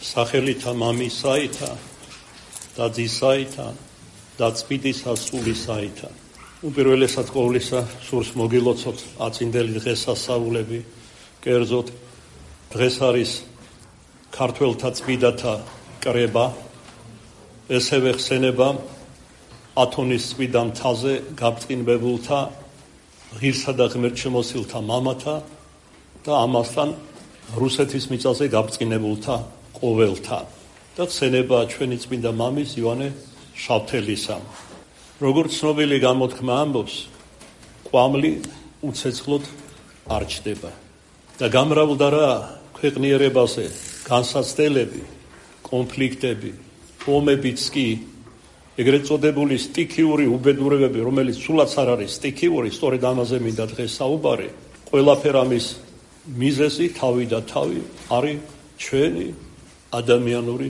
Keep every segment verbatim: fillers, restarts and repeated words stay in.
სახელითა მამისაითა და ძისაითა და წმინდისა სულისაითა. უპირველესად ყოვლისა სურს მოგილოცოთ აწინდელი დღესასწაულები, კერძოდ დღეს არის ქართველთა წმინდათა კრება, ესევე ხსენება ათონის წმინდა მთაზე გაბწყინებულთა ღირსა და ღმერთშემოსილთა მამათა და ამასთან რუსეთის მიწაზე გაბწყინებულთა ყოველთა და ხსენება ჩვენი წმინდა მამის იოანე შავთელისა. როგორც ცნობილი გამოთქმა ამბობს, ყვამლი უცეცხლოდ არ ჩდება და გამრავლდა რა ქვეყნიერებაზე განსაცდელები, კონფლიქტები, ომებიც კი, ეგრეთ წოდებული სტიქიური უბედურებები, რომელიც სულაც არ არის სტიქიური, სწორედ ამაზე მინდა დღეს საუბარი. ყველაფერ ამის მიზეზი თავი და თავი არის ჩვენი ადამიანური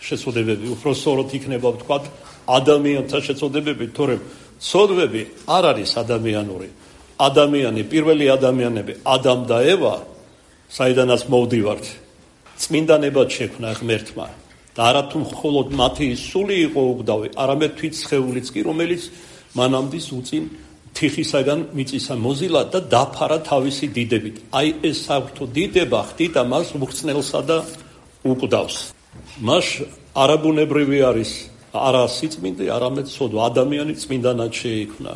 შეცოდებები. უფრო სწორად იქნება ვთქვათ ადამიანთა შეცოდებები, თორემ ცოდვები არ არის ადამიანური. ადამიანი, პირველი ადამიანები, ადამ და ევა, საიდანაც მოვდივართ, წმინდანებად შექმნა ღმერთმა და არა თუ მხოლოდ მათი სული იყო უგდავი, არამედ თვით სხეულიც კი, რომელიც მანამდე უწინ თიხისაგან მიწისა მოზილა და დაფარა თავისი დიდებით. აი ეს საერთო დიდება ხდიდა მას უხრწნელსა და უკვდავს. მას არაბუნებრივი არის არა სიწმინდე, არამედ ცოდვა. ადამიანი წმინდანად შეიქმნა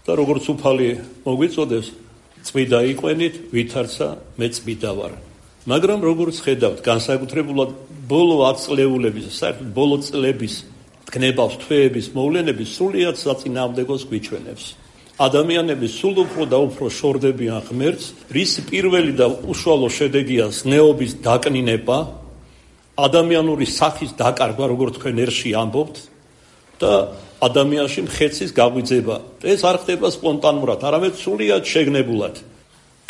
და როგორც უფალი მოგვიწოდებს, წმინდა იყვენით, ვითარცა მე წმინდა ვარ. მაგრამ როგორც ხედავთ, განსაკუთრებულად ბოლო ათწლეულების, საერთოდ ბოლო წლების გნებავს, თვეების მოვლენები სრულიად საწინააღმდეგოს გვიჩვენებს. ადამიანები სულ უფრო და უფრო შორდებიან ღმერთს, რის პირველი და უშუალო შედეგია ზნეობის დაკნინება, ადამიანური სახის დაკარგვა, როგორც თქვენ ერში ამბობთ, და ადამიანში მხეცის გაგვიძება. ეს არ ხდება სპონტანურად, არამედ სრულიად შეგნებულად.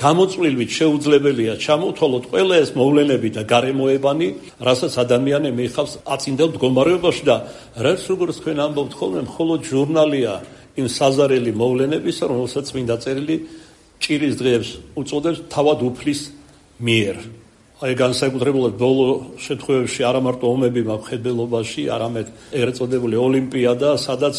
გამოწვლილვით შეუძლებელია ჩამოთვალოთ ყველა ეს მოვლენები და გარემოებანი, რასაც ადამიანი მიიღავს აწინდელ მდგომარეობაში და რაც როგორც თქვენ ამბობთ ხოლმე, მხოლოდ ჟურნალია იმ საზარელი მოვლენებისა, რომელსაც წმინდა წერილი ჭირის დღეებს უწოდებს თავად უფლის მიერ. აი განსაკუთრებულად ბოლო შემთხვევებში არა მარტო ომები მხედველობაში, არამედ ეგრეთ წოდებული ოლიმპიადა, სადაც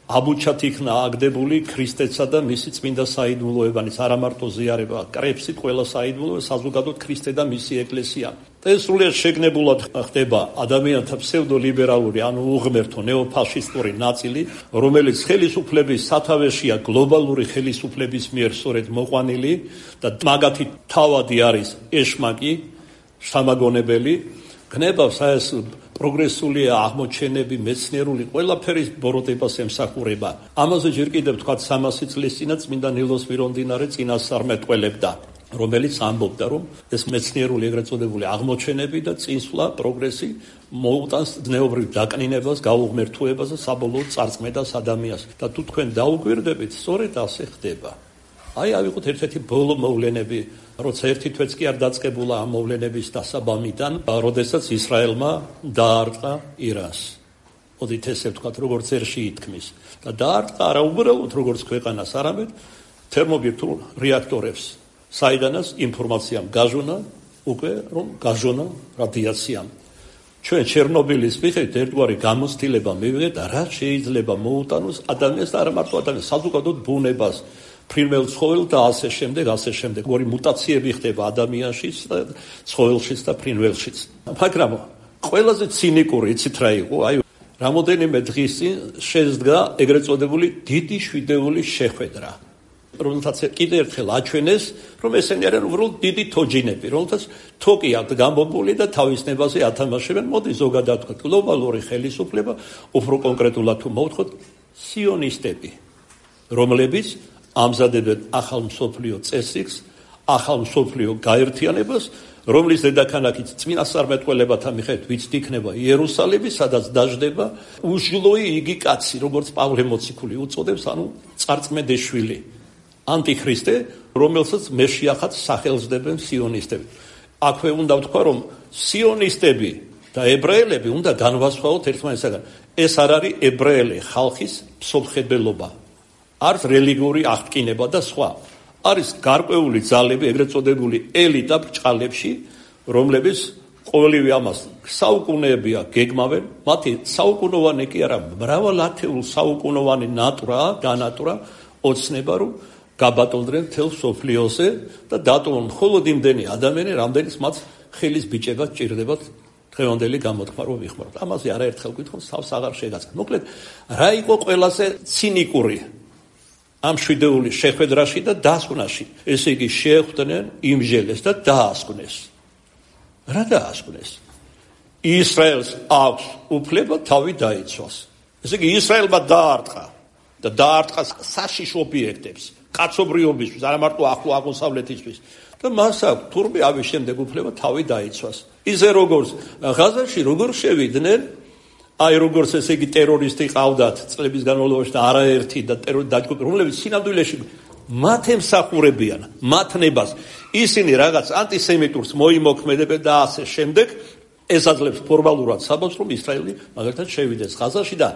აბუჩად იქნა აგდებული ქრისტესა და მისი წმინდა საიდუმლოებანიც, არა მარტო ზიარება, კრებსით ყველა საიდუმლოება, საზოგადოდ ქრისტე და მისი ეკლესია. და ეს სრულიად შეგნებულად ხდება ადამიანთა ფსევდოლიბერალური, ანუ უღმერთო ნეოფაშისტური ნაწილი, რომელიც ხელისუფლების სათავეშია გლობალური ხელისუფლების მიერ სწორედ მოყვანილი და მაგათი თავადი არის ეშმაკი, შთამაგონებელი, გნებავს ეს პროგრესულია აღმოჩენები, მეცნიერული ყველაფერის ბოროტებას ემსახურება. ამაზე ჯერ კიდევ თქვათ სამასი წლის წინა წმინდა ნილოს მირონდინარე წინასწარმეტყველებდა, რომელიც ამბობდა, რომ ეს მეცნიერული ეგრეთ წოდებული აღმოჩენები და წინსვლა, პროგრესი მოუტანს ზნეობრივ დაკნინებას, გაუღმერთოებას და საბოლოოდ წარწმედას ადამიანს. და თუ თქვენ დაუგვირდებით, სწორედ ასე ხდება. აი ავიღოთ ერთ-ერთი ბოლო მოვლენები, როცა ერთი თვეც კი არ დაწყებულა ამ მოვლენების დასაბამიდან, როდესაც ისრაელმა დაარტყა ირანს. მოდით ესე ვთქვათ, როგორც ერში ითქმის. და დაარტყა არა უბრალოდ როგორც ქვეყანას, არამედ თერმობირთულ რეაქტორებს, საიდანაც ინფორმაციამ გაჟონა, უკვე რომ გაჟონა რადიაციამ. ჩვენ ჩერნობილის მიხედვით ერთგვარი გამოცდილება მივიღეთ, რა შეიძლება მოუტანოს ადამიანს და არა მარტო ადამიანს, საზოგადოდ ბუნებას, ფრინველ ცხოველს და ასე შემდეგ, ასე შემდეგ. ორი მუტაციები ხდება ადამიანშიც და ცხოველშიც და ფრინველშიც. მაგრამ ყველაზე ცინიკური იცით რა იყო? აი, რამოდენიმე დღის წინ შეძდგა ეგრეთ წოდებული დიდი შვიდეული შეხვედრა, რომელთაც კიდევ ერთხელ აჩვენეს, რომ ესენი არიან უბრალოდ დიდი თოჯინები, რომელთაც თოკი აქვთ გამბობული და თავის ნებაზე ათამაშებენ. მოდი ზოგადად ვთქვათ, გლობალური ხელისუფლება, უფრო კონკრეტულად თუ მოვთხოვთ, სიონისტები, რომლებიც ამზადებენ ახალ მსოფლიო წესრიგს, ახალ მსოფლიო გაერთიანებას, რომლის დედაქალაქიც წმინასწარმეტყველებათა მიხედვით ვიცით იქნება იერუსალიმი, სადაც დაждდება უშლოი იგი კაცი, როგორც პავლე მოციქული უწოდებს, ანუ წარწმედეშვილი, ანტიქრისტე, რომელსაც მეშიახად სახელს დებენ სიონისტები. აქვე უნდა ვთქვა, რომ სიონისტები და ებრაელები უნდა განვასხვაოთ ერთმანეთისაგან. ეს არ არის ებრაელი ხალხის მსოფლმხედველობა, არც რელიგიური აღტკინება და სხვა. არის გარკვეული ძალები, ეგრეთ წოდებული ელიტა ბრჭყალებში, რომლებიც ყოველივე ამას საუკუნეებია გეგმავენ, მათი საუკუნოვანი კი არა, მრავალათეულ საუკუნოვანი ნატურა, განატურა, ოცნება, რომ გაბატონდნენ მთელ სოფლიოზე და დატოვონ მხოლოდ იმდენი ადამიანი, რამდენის მათ ხელის ბიჭება ჭირდებათ დღევანდელი გამოთქმა რომ ვიხმაროთ. ამაზე არაერთხელ გითხოთ, თავს აღარ შეგაცხადოთ. მოკლედ, რა იყო ყველაზე ცინიკური ამ შვიდეულის შეხვედრაში და დასკვნაში? ესე იგი, შეხვდნენ იმჟელეს და დაასკვნეს. რა დაასკვნეს? ისრაელს აქვს უფლება თავი დაიცვას. ესე იგი, ისრაელმა დაარტყა და დაარტყა საშიშ ობიექტებს, კაცობრიობისთვის, არა მარტო ახლო აღმოსავლეთისთვის. და მას აქვს თურმე ამის შემდეგ უფლება თავი დაიცვას. ისე როგორც ღაზაში როგორ შევიდნენ, აი როგორც ესე იგი ტერორისტი ყავდათ წლების განმავლობაში და არაერთი და ტერორისტი დაჯგუფება, რომლებიც სინამდვილეში მათ ემსახურებიან, მათ ნებას. ისინი რაღაც ანტისემიტურს მოიმოქმედებენ და ასე შემდეგ. ეს აძლევს ფორმალურად საბოლოოს, რომ ისრაელი მაგალითად შევიდეს ღაზაში და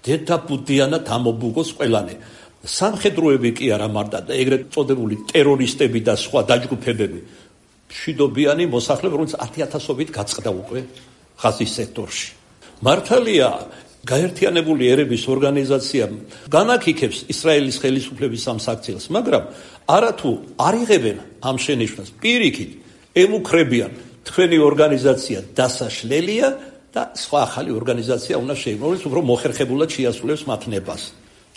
დედაბუდიანად ამობუღოს ყველანი. სამხედროები კი არა მარტო და ეგრეთ წოდებული ტერორისტები და სხვა დაჯგუფებები. მშვიდობიანი მოსახლეობა, რომელიც ათი ათასობით გაწყდა უკვე ღაზის სექტორში. მართალია, გაერთიანებული ერების ორგანიზაცია განაგიქებს ისრაელის ხელისუფლების სამსაქციელს, მაგრამ არათუ არ იღებენ ამ შენიშვნას, პირიქით ემუქრებიან თქვენი ორგანიზაცია დასაშლელია და სხვა ახალი ორგანიზაცია უნდა შეიქმნას, რომელიც უფრო მოხერხებულად შეასრულებს მათ ნებას.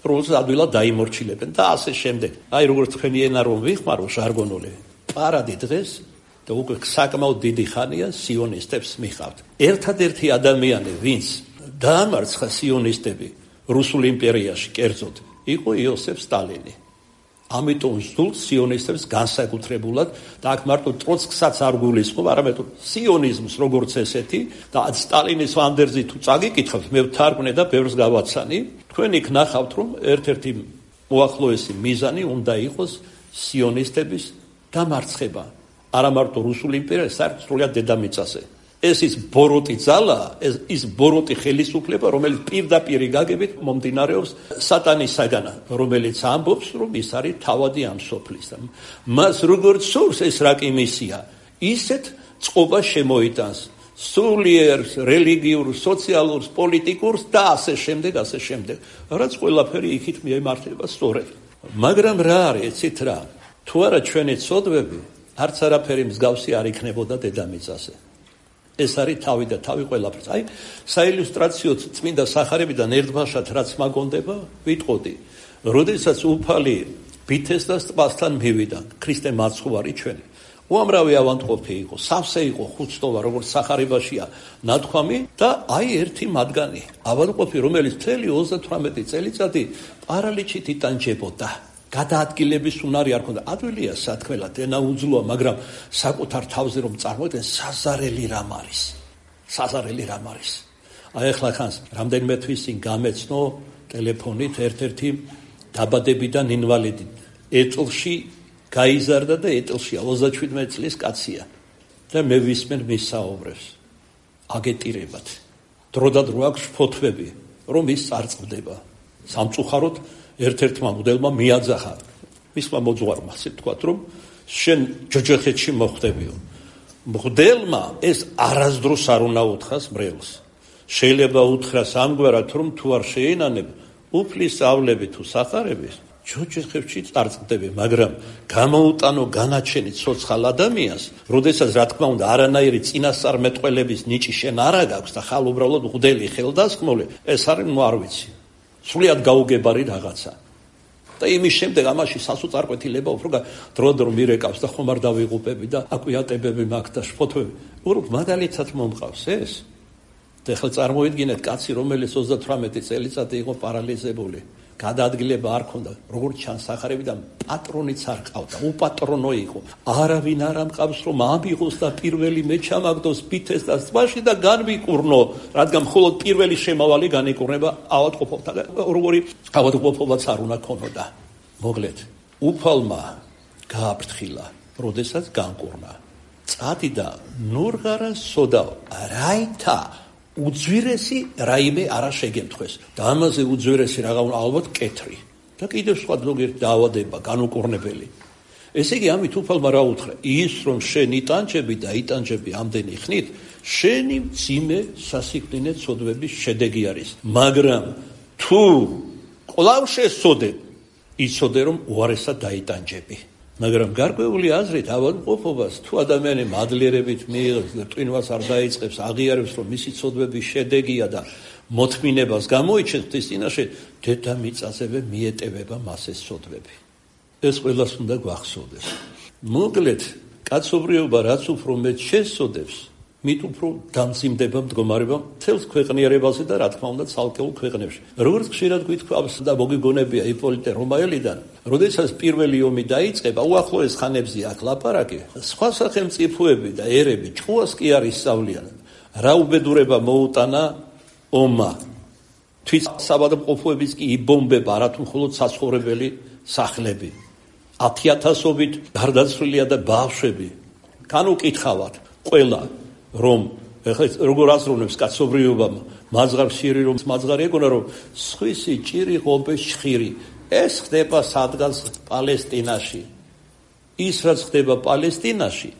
როცა ადვილად დაიმორჩილებენ და ასე შემდეგ. აი როგორც თქვენი ენა რომ ვიხმარო ჟარგონული, პარადი დღეს და უკვე საკმაოდ დიდი ხანია სიონისტებს მიყავთ. ერთადერთი ადამიანი, ვინც დაამარცხა სიონისტები რუსულ იმპერიაში, კერძოდ, იყო იოსებ სტალინი. ამიტომ ზუსტ სიონისტებს განსაკუთრებულად და აქ მარტო ტროცკსაც არ გულისხმობ, არამედ სიონიზმს როგორც ესეთი და სტალინის ვანდერზი თუ წაგიკითხავთ, მე ვთარგმნე და ბევრს გავაცანი, თქვენ იქ ნახავთ, რომ ერთ-ერთი უახლოესი მიზანი უნდა იყოს სიონისტების დამარცხება. არა მარტო რუსულ იმპერიას, საერთოდ სრულად დედამიწაზე. ეს ის ბოროტი ძალა, ეს ის ბოროტი ხელისუფლება, რომელიც პირდაპირ გაგებით მომდინარეობს სატანისაგან, რომელიც ამბობს, რომ ის არის თავადი ამ სოფლის. მას როგორც სურს ეს რაკი მისია, ისეთ წყობას შემოიტანს. სულიერს, რელიგიურ, სოციალურს, პოლიტიკურს და ასე შემდეგ, ასე შემდეგ. რაც ყველაფერი იქით მიემართება სწორედ. მაგრამ რა არის, ეცით რა? თუ არა ჩვენი ცოდვები, არც არაფერი მსგავსი არ იქნებოდა დედამიწაზე. ეს არის თავი და თავი ყველაფერს. აი, საილუსტრაციო წმინდა სახარებიდან ერთბაშად რაც მაგონდება, ვიტყოდი. როდესაც უფალი ბითესდას ტბასთან მივიდა, ქრისტე მაცხოვარი ჩვენი. უამრავი ავადმყოფი იყო, სავსე იყო ხუთწლოვანი, როგორც სახარებაშია ნათქვამი და აი ერთი მათგანი, ავადმყოფი, რომელიც მთელი ოცდათვრამეტი წელიწადი პარალიჩით იტანჯებოდა. გადაადგილების უნარი არ ქონდა. ადვილია სათქმელად, ენა უძლოა, მაგრამ საკუთარ თავზე რომ წარმოიდგენ, საზარელი რამ არის. საზარელი რამ არის. აი ახლა ხანს რამდენიმე თვის წინ გამეცნო ტელეფონით ერთ-ერთი დაბადებიდან ინვალიდი. ეტლში გაიზარდა და ეტლშია ოცდაშვიდმეტი წლის კაცია. და მე ვისმენ მის საუბრებს. აგეტირებათ. დროდადრო აქვს ფოთვები, რომ ის წარწყდება. სამწუხაროდ ერთ-ერთმა მოდელმა მიაძახა მისმა მოძღვარმა, ასე ვთქვათ, რომ შენ ჯოჯოხეთში მოხვდებიო. მოდელმა ეს არასდროს არ უნდა უთხრას მრევლს. შეიძლება უთხრას ამგვარად, რომ თუ არ შეენანებ უფლის სწავლები თუ სახარების, ჯოჯოხეთში წარწყდები, მაგრამ გამოუტანო განაჩენი ცოცხალ ადამიანს, როდესაც რა თქმა უნდა არანაირი წინასწარმეტყველების ნიჭი შენ არ აქვს და ხალ უბრალოდ მღვდელი ხელდასხმული, ეს არის ნუ არ ვიცი. სულიად გაუგებარი რაღაცა. და იმის შემდეგ ამაში სასოწარკვეთილება უფრო დროდადრო მირეკავს და ხომ არ დავიღუპები და აკვიატებები მაქვს და შფოთვები. უბრალოდ მაგალითად მომყავს ეს. და ახლა წარმოიდგინეთ კაცი, რომელიც ოცდათვრამეტი წელიწადი იყო პარალიზებული. გადაადგილება არ ქონდა, როგორც ჩანს სახარებიდან პატრონიც არ ყავდა, უპატრონო იყო. არავინ არ ამყავს რომ ამიღოს და პირველი მე ჩამაგდოს ბითესდას ტბაში და განვიკურნო, რადგან მხოლოდ პირველი შემავალი განიკურნება ავადმყოფობთან. როგორი ავადმყოფობაც არ უნდა ქონოდა. მოგლეთ, უფალმა გააფრთხილა, როდესაც განკურნა. წადიდა ნურღარა სოდა რაითა უძვირესი რაიმე არა შეგემთხვეს და ამაზე უძვირესი რაღა ალბათ კეთრი და კიდევ სხვა ზოგიერთი დაავადება განუკურნებელი. ესე იგი ამით უფალმა რა უთხრა? ის რომ შენ იტანჯები და იტანჯები ამდენი ხნით, შენი მძიმე სასიკვდინე ცოდვების შედეგი არის. მაგრამ თუ კვლავ შესწოდე, იცოდე რომ უარესად დაიტანჯები. მაგრამ გარკვეული აზრით ავადმყოფობას თუ ადამიანი მადლიერებით მიიღებს და ტვინვას არ დაიწყებს, აღიარებს რომ მისი ცოდვების შედეგია და მოთმინებას გამოიჩენს ღვთის წინაშე, დედამიწაზე მიეტევება მას ეს ცოდვები. ეს ყველას უნდა გვახსოვდეს. მოკლედ, კაცობრიობა რაც უფრო მეტ შესწოდებს, მით უფრო დამძიმდება მდგომარეობა მთელს ქვეყნიერებაზე და რა თქმა უნდა ცალკეულ ქვეყნებში. როგორც ხშირად გვითქვამს და მოგიგონებია იპოლიტე რომაელიდან, როდესაც პირველი ომი დაიწყება, უახლოეს ხანებზე აქ ლაპარაკი, სხვა სახელმწიფოები და ერები ჭუას კი არ ისწავლიან. რა უბედურება მოუტანა ომმა. თვით საბადმყოფოებიც კი იბომბება არათუ მხოლოდ საცხოვრებელი სახლები. ათიათასობით გარდაცვლილია და ბავშვები. განუკითხავად ყველა რომ ეხლა როგორ აზროვნებს კაცობრიობამ მაზღარშირი რომ მაზღარი ეგონა რომ სხვისი ჭირი ღობეს ჭხირი ეს ხდება სადღაც პალესტინაში ის რაც ხდება პალესტინაში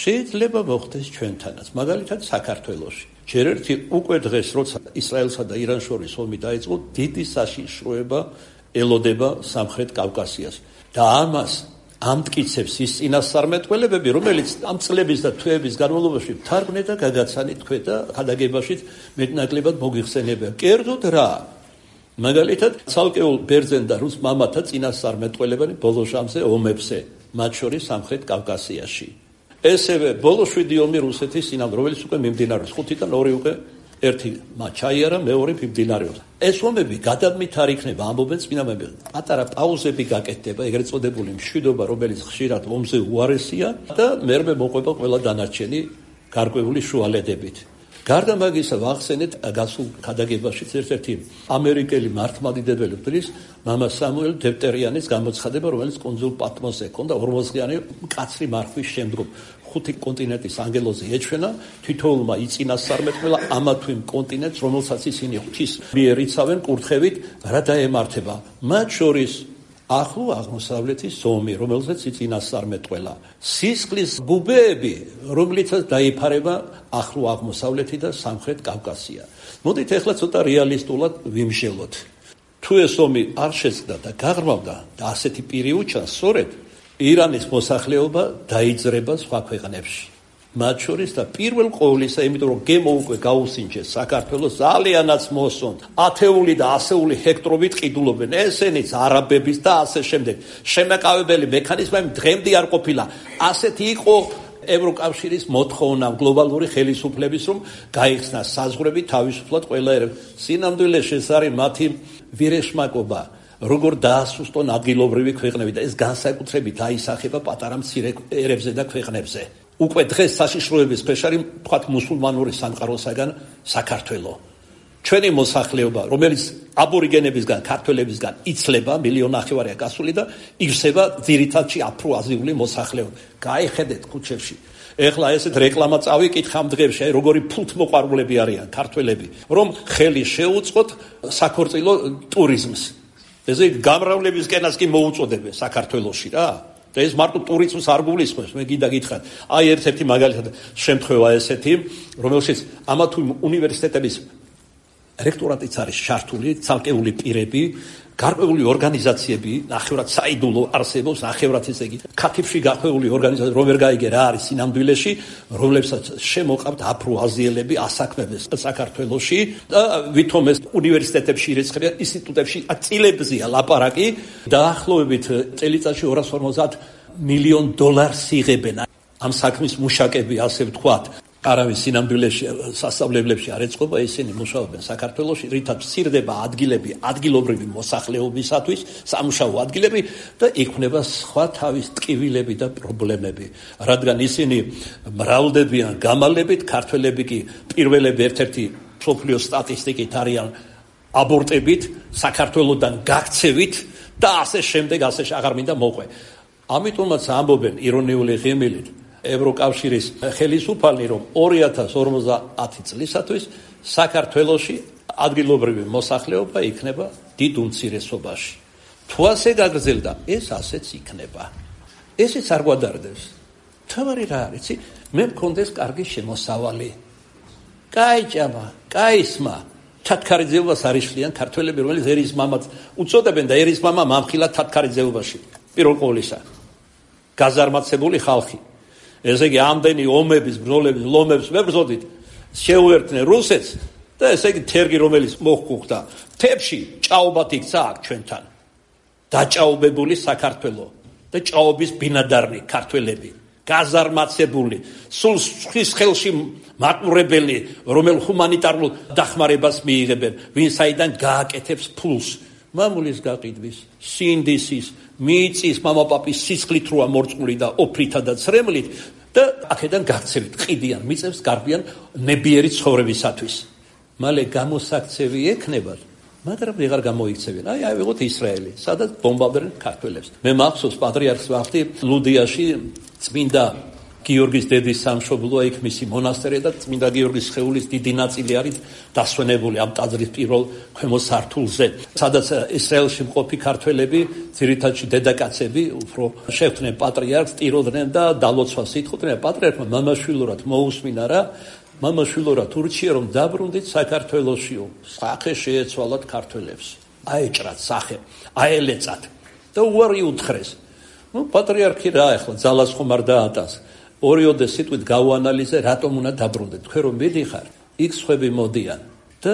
შეიძლება მოხდეს ჩვენთანაც მაგალითად საქართველოში ჯერ ერთი უკვე დღეს როცა ისრაელსა და ირანს შორის ომი დაიწყო დიდი საშიშროება ელოდება სამხრეთ კავკასიას და ამას ამტკიცებს ის წინასწარმეტყველებები, რომელიც ამ წლების და თვეების განმავლობაში თარგმნე და გაგაცანი თქვენ და ხადაგებაშიც მეტნაკლებად მოგიხსენებია. კერძოდ რა? მაგალითად, ცალკეულ ბერძენ და რუს მამათა წინასწარმეტყველებანი ბოლო ჟამზე ომებზე, მათ შორის სამხრეთ კავკასიაში. ესევე ბოლო შვიდი ომი რუსეთის წინააღმდეგ, რომელიც უკვე მიმდინარეობს. ხუთიდან ორი უკვე ერთი მაჩაიარა, მეორე მიმდინარეობს. ეს ომები გადამით არ იქნება, ამბობენ წინამები. პატარა პაუზები გაკეთდება, ეგრეთ წოდებული მშვიდობა, რომელიც ხშირად ომზე უარესია და მერმე მოყვება ყველა დანარჩენი გარკვეული შუალედებით. გარდა მაგისა ვახსენეთ გასულ ხადაგებაშიც ერთ-ერთი ამერიკელი მართლმადიდებელი მღვდლის მამა სამუელ დევტერიანის გამოცხადება, რომელიც კუნძულ პატმოსზე ჰქონდა ორმოცდღიანი მკაცრი მარხვის შემდგომ. ხუთი კონტინენტის ანგელოზი ეჩვენა, თითოეულმა იწინასწარმეტყველა ამა თუ იმ კონტინენტს, რომელსაც ისინი ღვთის მიერ იცავენ კურთხევით, რა დაემართება. მათ შორის ახლო აღმოსავლეთის ომი, რომელზეც იწინასწარმეტყველა. სისხლის ბუბეები, რომლითაც დაიფარება ახლო აღმოსავლეთი და სამხრეთ კავკასია. მოდით ახლა ცოტა რეალისტულად ვიმსჯელოთ. თუ ეს ომი არ შეწყდა და გაღრმავდა და ასეთი პირი უჩანს, სწორედ ირანის მოსახლეობა დაიძრება სხვა ქვეყნებში. მათ შორის და პირველ ყოვლისა, იმიტომ რომ გემო უკვე გაუსინჯეს საქართველოს ძალიანაც მოსონთ. ათეული და ასეული ჰექტრობით ყიდულობენ. ესენიც არაბების და ასე შემდეგ. შემეკავებელი მექანიზმები დღემდე არ ყოფილა. ასეთი იყო ევროკავშირის მოთხოვნა გლობალური ხელისუფლების რომ გაიხსნა საზღვრები თავისუფლად ყველა ერებს. სინამდვილეში ეს არის მათი ვირეშმაკობა. როგორ დაასუსტონ ადგილობრივი ქვეყნები და ეს განსაკუთრებით აისახება პატარა მცირე ერებზე და ქვეყნებზე. უკვე დღეს საშიშროების ქვეშ არის თქვათ მუსულმანური სამყაროსაგან საქართველო. ჩვენი მოსახლეობა, რომელიც აბორიგენებისგან, ქართველებისგან იცლება, მილიონი ნახევარია გასული და ივსება ძირითადში აფრო-აზიული მოსახლეობა. გაიხედეთ ქუჩებში. ეხლა ესეთ რეკლამა წავიკითხა ამ დღეებში, აი როგორი ფულთმოყვარულები არიან ქართველები, რომ ხელი შეუწყოთ საქორწილო ტურიზმს. ესე გამრავლებისკენას კი მოუწოდებენ საქართველოში რა. და ეს მარტო ტურიზმს არ გულისხმობს, მე გინდა გითხრათ. აი ერთ-ერთი მაგალითად შემთხვევა ესეთი, რომელშიც ამა თუ უნივერსიტეტების რექტორატიც არის ჩართული, ცალკეული პირები, გარკვეული ორგანიზაციები, ნახევრად საიდუმლო არსებობს, ნახევრად ესე იგი, ქათიფში გახვეული ორგანიზაცია, რომ ვერ გაიგე რა არის სინამდვილეში, რომლებსაც შემოყავთ აფრო-აზიელები ასაქმებენ საქართველოში და ვითომ ეს უნივერსიტეტებში ირიცხებიან, ინსტიტუტებში წილებზეა ლაპარაკი, დაახლოებით წელიწადში ორას ორმოცდაათ მილიონ დოლარს იღებენ ამ საქმის მუშაკები, ასე ვთქვათ. არავის სინამდვილეში სასწავლებლებში არ ეწყობა, ისინი მუშაობენ საქართველოში, რითაც მცირდება ადგილები ადგილობრივი მოსახლეობისათვის, სამუშაო ადგილები და იქმნება სხვა თავის ტკივილები და პრობლემები. რადგან ისინი მრავლდებიან გამალებით, ქართველები კი პირველები ერთ-ერთი მსოფლიოს სტატისტიკით არიან აბორტებით, საქართველოდან გაქცევით და ასე შემდეგ, ასე აღარ მინდა მოყვე. ამიტომაც ამბობენ ირონიული ღიმილით ევროკავშირის ხელისუფალი, რომ ორი ათას ორმოცდაათი წლისათვის საქართველოში ადგილობრივი მოსახლეობა იქნება დიდ უმცირესობაში. თუ ასე გაგრძელდა, ეს ასეც იქნება. ესეც არ გვადარდებს. თავარი რა არის? მე მქონდეს კარგი შემოსავალი. კაიჭამა, კაისმა. თათქარიძეობას არიშლიან ქართველები, რომელიც ერის მამაც უწოდებენ და ერის მამა მამხილა თათქარიძეობაში. პირველ ყოვლისა. გაზარმაცებული ხალხი. ესე იგი ამდენი ომების, ბრძოლების, ლომებს მებრძოდით, შეუერთდნენ რუსეთს და ესე იგი თერგი რომელიც მოხუხდა თებში ჭაობათ იქცა აქ ჩვენთან. დაჭაობებული საქართველო და ჭაობის ბინადარი ქართველები. გაზარმაცებული, სულ სხვის ხელში მატმურებელი, რომელ ჰუმანიტარულ დახმარებას მიიღებენ, ვინ საიდან გააკეთებს ფულს. მამულის გაყიდვის, სინდისის, მიწის, მამაპაპის სისხლით როა მორწმული და ოფრითა და ცრემლით და აქედან გაქცევით, ყიდიან, მიწებს გარბიან ნებიერი ცხოვრებისათვის. მალე გამოსაქცევი ექნებათ, მაგრამ ვეღარ გამოიქცევენ. აი, აი ვიღოთ ისრაელი, სადაც ბომბარდირებენ ქართველებს. მე მახსოვს პატრიარქს ვახდი ლუდიაში წმინდა გიორგის დედის სამშობლოა იქ მისი მონასტერი და წმინდა გიორგის სხეულის დიდი ნაწილი არის დასვენებული ამ ტაძრის პირველ ქვემო სართულზე, სადაც ისრაელში მყოფი ქართველები, ძირითადში დედაკაცები, უფრო შეხვდნენ პატრიარქს, ტიროდნენ და დალოცვას ითხოვდნენ. პატრიარქმა მამაშვილურად მოусმინა რა, მამაშვილურად ურჩია რომ დაბრუნდით საქართველოსიო, სახე შეეცვალათ ქართველებს. აეჭრათ სახე, აელეწათ და უარი უთხრეს. ნუ პატრიარქი რა ახლა ძალას ხომ არ დაატანს. ორიოდე სიტყვით გავანალიზე, რატომ უნდა დაბრუნდეთ? თქვენ რომ მიდიხარ, იქ სხვები მოდიან და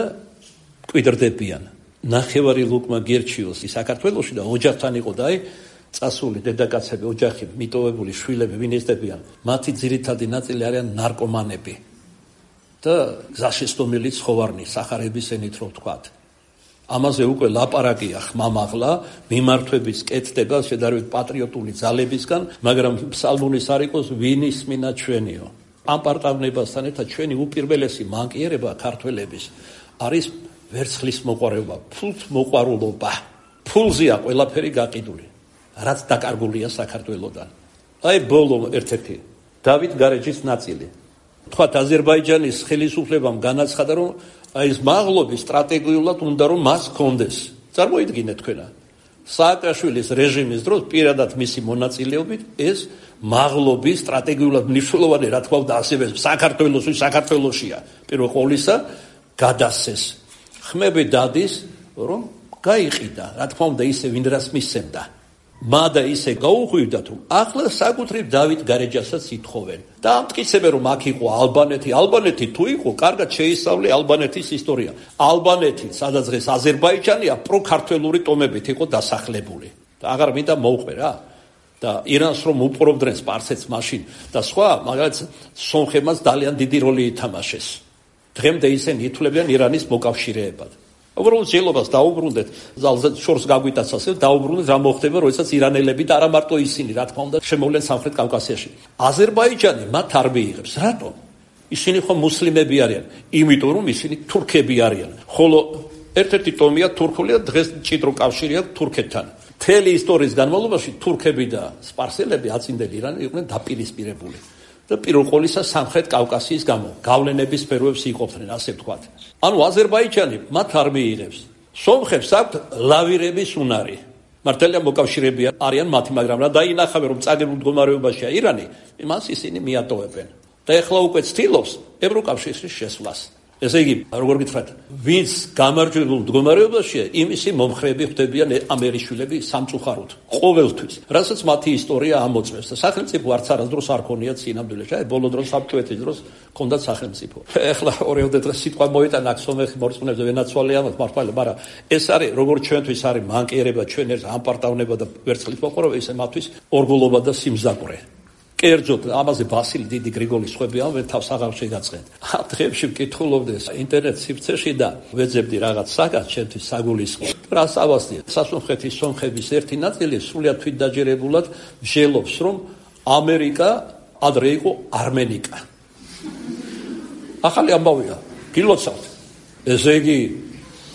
კვიდრდებიან. ნახევარი ლუკმა გერჩიოსი საქართველოში და ოჯახთან იყო და აი წასული დედაკაცები, ოჯახი, მიტოვებული შვილები, ვინ ესდებიან, მათი ძირითადი ნაწილი არიან ნარკომანები და გზაშესტომილი ცხოვარნი, სახარების ენით რო ვთქვათ. ამაზე უკვე ლაპარაკია ხმამაღლა, მიმართვების კეთდება შედარებით პატრიოტული ძალებისგან, მაგრამ ფსალმუნის არ იყოს ვინ ისმინა ჩვენიო. ამ პარტავნებასთან ერთად ჩვენი უპირველესი მანკიერება ქართველების არის ვერცხლის მოყვარეობა, ფულთმოყვარულობა. ფულზეა ყველაფერი გაყიდული, რაც დაკარგულია საქართველოდან. აი ბოლო ერთ-ერთი დავით გარეჯის ნაწილი. თქვათ აზერბაიჯანის ხელისუფლებამ განაცხადა რომ აი ეს მაღლობი სტრატეგიულად უნდა რომ მას კონდეს. წარმოიდგინეთ თქვენა. სააკაშვილის რეჟიმის დროს პირადად მისი მონაწილეობით ეს მაღლობი სტრატეგიულად მნიშვნელოვანი რა თქმა უნდა ასევე საქართველოსი საქართველოსია. პირველ ყოვლისა გადასცეს. ხმები დადის რომ გაიყიდა. რა თქმა უნდა ისე ვინ რას მისცემდა. მადა ისე გაუღვივდა თუ ახლა საკუთრივ დავით გარეჯასაც ითხოვენ და ამტკიცებენ რომ აქ იყო ალბანეთი. ალბანეთი თუ იყო, კარგად შეისწავლე ალბანეთის ისტორია. ალბანეთი, სადაც დღეს აზერბაიჯანია, პროქართველური ტომებით იყო დასახლებული. და აღარ მინდა მოვყვე რა. და ირანს რომ უპყრობდნენ სპარსეთს მაშინ და სხვა, მაგალითად სომხებმაც ძალიან დიდი როლი ითამაშეს. დღემდე ისინი ითვლებიან ირანის მოკავშირეებად. უბრალოდ ძილობას დაუბრუნდეთ, ზალზე შორს გაგვიტაც ასე, დაუბრუნდეთ რა მოხდება, როდესაც ირანელები და არა მარტო ისინი, რა თქმა უნდა, შემოვლენ სამხრეთ კავკასიაში. აზერბაიჯანი მათ არ მიიღებს. რატომ? ისინი ხო მუსლიმები არიან, იმიტომ რომ ისინი თურქები არიან. ხოლო ერთ-ერთი ტომია თურქული და დღეს მჭიდრო კავშირი აქვს თურქეთთან. მთელი ისტორიის განმავლობაში თურქები და სპარსელები აწინდელი ირანი იყვნენ დაპირისპირებული. და პირველ ყოვლისა სამხრეთ კავკასიის გამო გავლენების სფეროებს იყოფდნენ, ასე ვთქვათ. ანუ აზერბაიჯანი მათ არ მიიღებს. სომხებს აქვთ ლავირების უნარი. მართალია მოკავშირეები არიან მათი, მაგრამ რა დაინახავენ რომ წაგებულ მდგომარეობაშია ირანი, იმას ისინი მიატოვებენ. და ეხლა უკვე ცდილობს ევროკავშირში შესვლას. ესე იგი, როგორ გითხრათ, ვინც გამარჯვებულ მდგომარეობაშია, იმისი მომხრეები ხდებიან ამერიშვილები სამწუხაროდ, ყოველთვის, რასაც მათი ისტორია ამოწმებს. და სახელმწიფო არც არასდროს არ ქონიათ სინამდვილეში. აი, ბოლო დროს საბჭოეთის დროს ჰქონდათ სახელმწიფო. ეხლა ორიოდე დღეს სიტყვა მოიტანა აქ სომეხი მორწმუნეებზე ვენაცვალე ამათ მართლა, მაგრამ ეს არის როგორც ჩვენთვის არის მანკიერება, ჩვენ ერთ ამპარტავნება და ვერცხლის მოყვარეობა, ისე მათთვის ორგულობა და სიმზაკვრე. კერძოდ ამაზე ბასილი დიდი გრიგოლის ხვები ამბენ თავს აღარ შეგაწყენთ. ამ დღეებში ვკითხულობდი ინტერნეტ სივრცეში და ვეძებდი რაღაც საგანს ჩემთვის საგულისხმო. რა სწავლია? სასუნხეთის სომხების ერთი ნაწილი სრულიად თვითდაჯერებულად ვშელობს რომ ამერიკა ადრე იყო არმენიკა. ახალი ამბავია. გილოცავთ. ესე იგი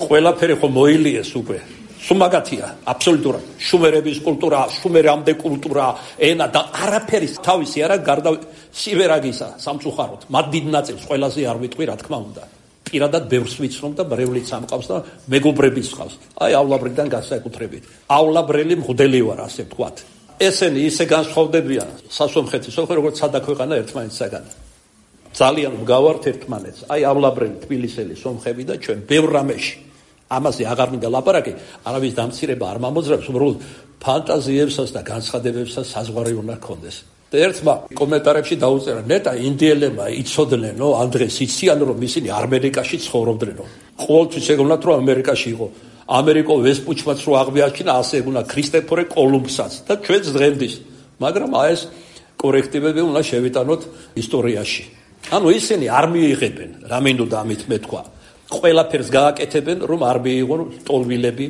ყველაფერი ხო მოილიეს უკვე. სუმაგათია, აბსოლუტურად. შუმერების კულტურა, შუმერამდე კულტურა, ენა და არაფერი თავისი არა გარდა სივერაგისა, სამწუხაროდ. მათ დიდ ნაწილს ყველაზე არ ვიტყვი, რა თქმა უნდა. პირადად ბევრს ვიცნობ და ბრევლიც ამყავს და მეგობრებიც ხავს. აი ავლაბრიდან განსაკუთრებით. ავლაბრელი მღვდელი ვარ, ასე ვთქვათ. ესენი ისე განსხვავდებიან სასომხეთის, როგორც სადა ქვეყანა ერთმანეთისაგან. ძალიან მგავართ ერთმანეთს. აი ავლაბრელი თბილისელი სომხები და ჩვენ ბევრ რამეში. ამაზე აღარ მინდა ლაპარაკი, არავის დამცირება არ მომოძრაობს, უბრალოდ ფანტაზიებსაც და განცხადებებსაც საზღვარი უნდა გქონდეს. და ერთმა კომენტარებში დაუწერა, ნეტა ინდიელებმა იცოდნენ, ამ დღეს იციან, რომ ისინი ამერიკაში ცხოვრობდნენ. ყოველთვის ეგონათ, რომ ამერიკაში იყო. ამერიკო ვესპუჩმაც რო აღიარჩინა, ასე ეგონა ქრისტეფორე კოლუმბსაც და ჩვენს დღემდის. მაგრამ აი ეს კორექტივები უნდა შევიტანოთ ისტორიაში. ანუ ისინი არ მიიღებენ, რამინდოდა ამით მეთქვა. ყველაფერს გააკეთებენ, რომ არ მიიღონ ტოლვილები.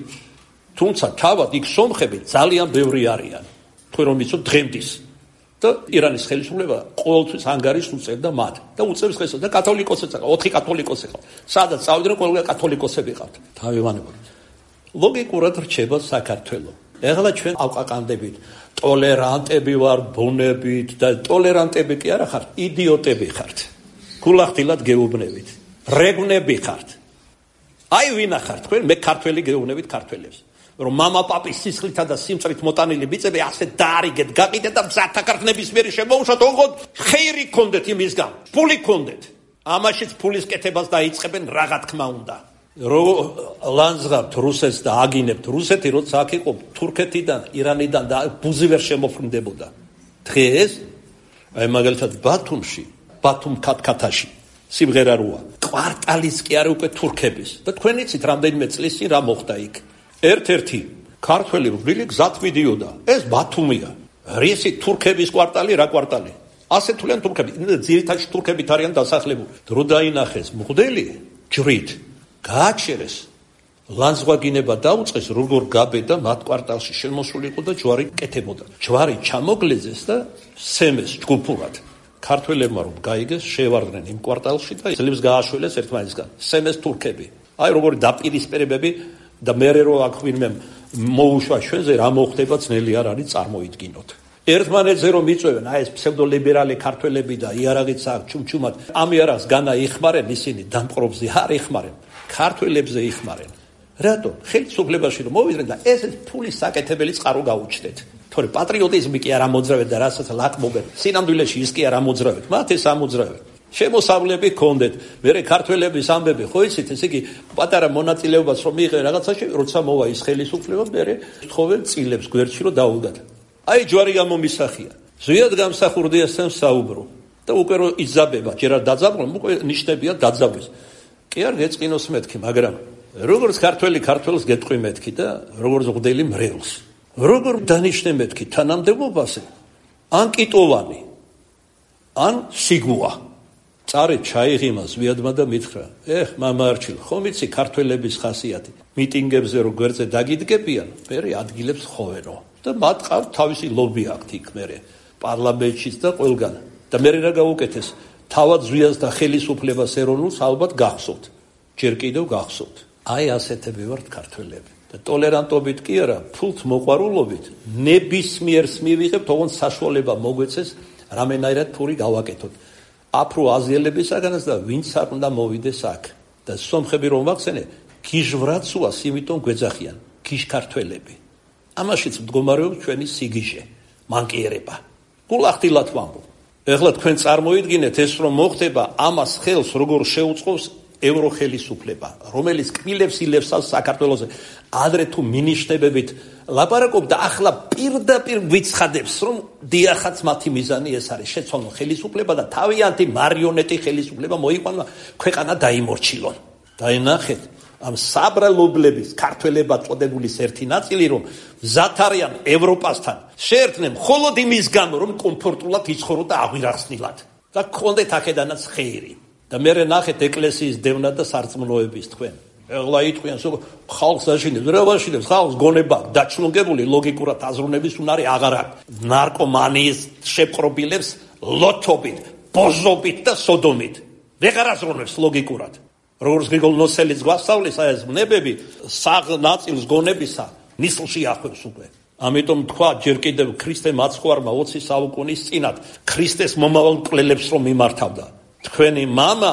თუმცა თავად იქ სომხები ძალიან ბევრი არიან. თქვენ რომ იცოთ დღემდის. და ირანის ხელისუფლება ყოველთვის ანგარიშს უწევდა მათ და უწევს დღესაც და კათოლიკოსებიც ყავთ, ოთხი კათოლიკოსი ყავთ. სადაც წავიდნენ, ყველა კათოლიკოსები ყავთ. თავივანებული. ლოგიკურად რჩება საქართველო. ეხლა ჩვენ ავყაყანდებით, ტოლერანტები ვარ ბუნებით და ტოლერანტები კი არა ხართ, იდიოტები ხართ. გულახდილად გეუბნებით. რეგვნები ხართ. აი ვინა ხართ თქვენ, მე ქართველი გეუბნებით ქართველებს. რომ мама პაპის სისხლითა და სიმწრით მოტანილი ბიძები ასე დაარიგეთ, გაყიდეთ და მზათა ქართლების მერი შემოუშვათ, ოღონდ ხეირი გქონდეთ იმისგან, ფული გქონდეთ. ამაშიც ფულის კეთებას დაიწყებენ რაღა თქმა უნდა. რო ლანძღავთ რუსეთს და აგინებთ რუსეთი, როცა აქ იყო თურქეთიდან, ირანიდან და ბუზი ვერ შემოფრინდებოდა. დღეს აი მაგალითად ბათუმში, ბათუმ ქათქათაში სიმღერა როა. კვარტალის კი არა უკვე თურქების. და თქვენ იცით რამდენიმე წლის წინ რა მოხდა იქ. ერთ-ერთი ქართველი რბილი გზად მიდიოდა. ეს ბათუმია. რისი თურქების კვარტალი, რა კვარტალი? ასე თვლიან თურქები. ძირითადად თურქებით არიან დასახლებული. დრო დაინახეს მღვდელი ჯვრით. გააჩერეს. ლანძღვაგინება დაუწყეს, როგორ გაბედა მათ კვარტალში შემოსული იყო და ჯვარი კეთებოდა. ჯვარი ჩამოგლეზეს და სემეს ჯგუფურად. ქართველებმა რომ გაიგეს, შევარდნენ იმ კვარტალში და ძლებს გააშველეს ერთმანეთისგან. სემეს თურქები. აი როგორი დაპირისპირებები და მერე რო აქ ვინმე მოუშვა ჩვენზე რა მოხდება ძნელი არ არის წარმოიდგინოთ. ერთმანეთზე რომ იწვევენ აი ეს ფსევდოლიბერალი ქართველები და იარაღიც აქ ჩუმჩუმად ამ იარაღს განა იხმარენ ისინი დამპყრობზე არ იხმარენ, ქართველებზე იხმარენ. რატო? ხელისუფლებაში რომ მოვიდნენ და ესეც ფულის საკეთებელი წყარო გაუჩნდეთ. თორე პატრიოტიზმი კი არ ამოძრავეთ და რასაც ლაკმობენ. სინამდვილეში ის კი არ ამოძრავეთ, მათ ეს ამოძრავეთ. შემოსავლები გქონდეთ. მერე ქართველების ამბები, ხო იცით, ესე იგი პატარა მონაწილეობას რომ მიიღე რაღაცაში, როცა მოვა ის ხელისუფლება, მერე თხოვენ წილებს გვერდში რომ დაუდგათ. აი ჯვარი გამომისახია. ზვიად გამსახურდიასთან საუბრო. და უკვე რომ იძაბება, ჯერ არ დაძაბულობ, უკვე ნიშნებია დაძაბვის. კი არ გეწყინოს მეთქი, მაგრამ როგორც ქართველი ქართველს გეტყვი მეთქი და როგორც მღვდელი მრევლს. როგორ დანიშნე მეთქი თანამდებობაზე? ან კიტოვანი, ან სიგუა. წარე ჩაიღიმა ზვიადმა და მითხრა, ეხ მამა არჩილ, ხომ იცი ქართველების ხასიათი, მიტინგებზე რო გვერდზე დაგიდგებიან, მერე ადგილებს ხოვენო და მათ ყავთ თავისი ლობი აქვთ იქ მერე პარლამენტშიც და ყველგან. და მერე რა გაუკეთეს, თავად ზვიადს და ხელისუფლებას ეროვნულს ალბათ გახსოვთ, ჯერ კიდევ გახსოვთ. აი ასეთები ვართ ქართველები. და ტოლერანტობით კი არა, ფულთ მოყვარულობით ნებისმიერს მივიღებთ, ოღონდ საშუალება მოგვეცეს რამენაირად ფური გავაკეთოთ. აფრო აზიელებისაგანაც და ვინც არ უნდა მოვიდეს აქ. და სომხები რომ ვახსენე, გიჟვრაცუას იმიტომ გვეძახიან, გიჟქართველები. ამაშიც მდგომარეობს ჩვენი სიგიჟე, მანკიერება. გულახდილად ვამბობ. ეხლა თქვენ წარმოიდგინეთ ეს რომ მოხდება, ამას ხელს როგორ შეუწყობს ევროხელისუფლება, რომელიც კბილებს ილევს საქართველოზე, ადრე თუ მინიშნებებით ლაპარაკობდა, ახლა პირდაპირ გვიცხადებს, რომ დიახაც მათი მიზანი ეს არის, შეცვალონ ხელისუფლება და თავიანთი მარიონეტი ხელისუფლება მოიყვანა, ქვეყანა დაიმორჩილონ. დაინახეთ, ამ საბრალობლების ქართველებად წოდებული ერთი ნაწილი, რომ მზად არიან ევროპასთან შეერთდნენ მხოლოდ იმის გამო, რომ კომფორტულად იცხოვროთ და აღვირახსნილად და გქონდეთ აქედანაც ხეირი. და მერე ნახეთ ეკლესიის დევნა და სარწმუნოების თქვენ. ეხლა იტყვიან, სულ ხალხს აშინებს, რა ვაშინებს, ხალხს გონება დაჩლონგებული ლოგიკურად აზროვნების უნარი აღარ აქვს. ნარკომანიის შეპყრობილებს ლოთობით, ბოზობით და სოდომით. ვეღარ აზროვნებს ლოგიკურად. როგორც გრიგოლ ნოსელიძე გვასწავლის აი ეს ნებები საღ ნაწილს გონებისა ნისლში ახვევს უკვე. ამიტომ თქვა ჯერ კიდევ ქრისტე მაცხვარმა ოცი საუკუნის წინათ ქრისტეს მომავალ მკვლელებს რომ მიმართავდა. თქვენი მამა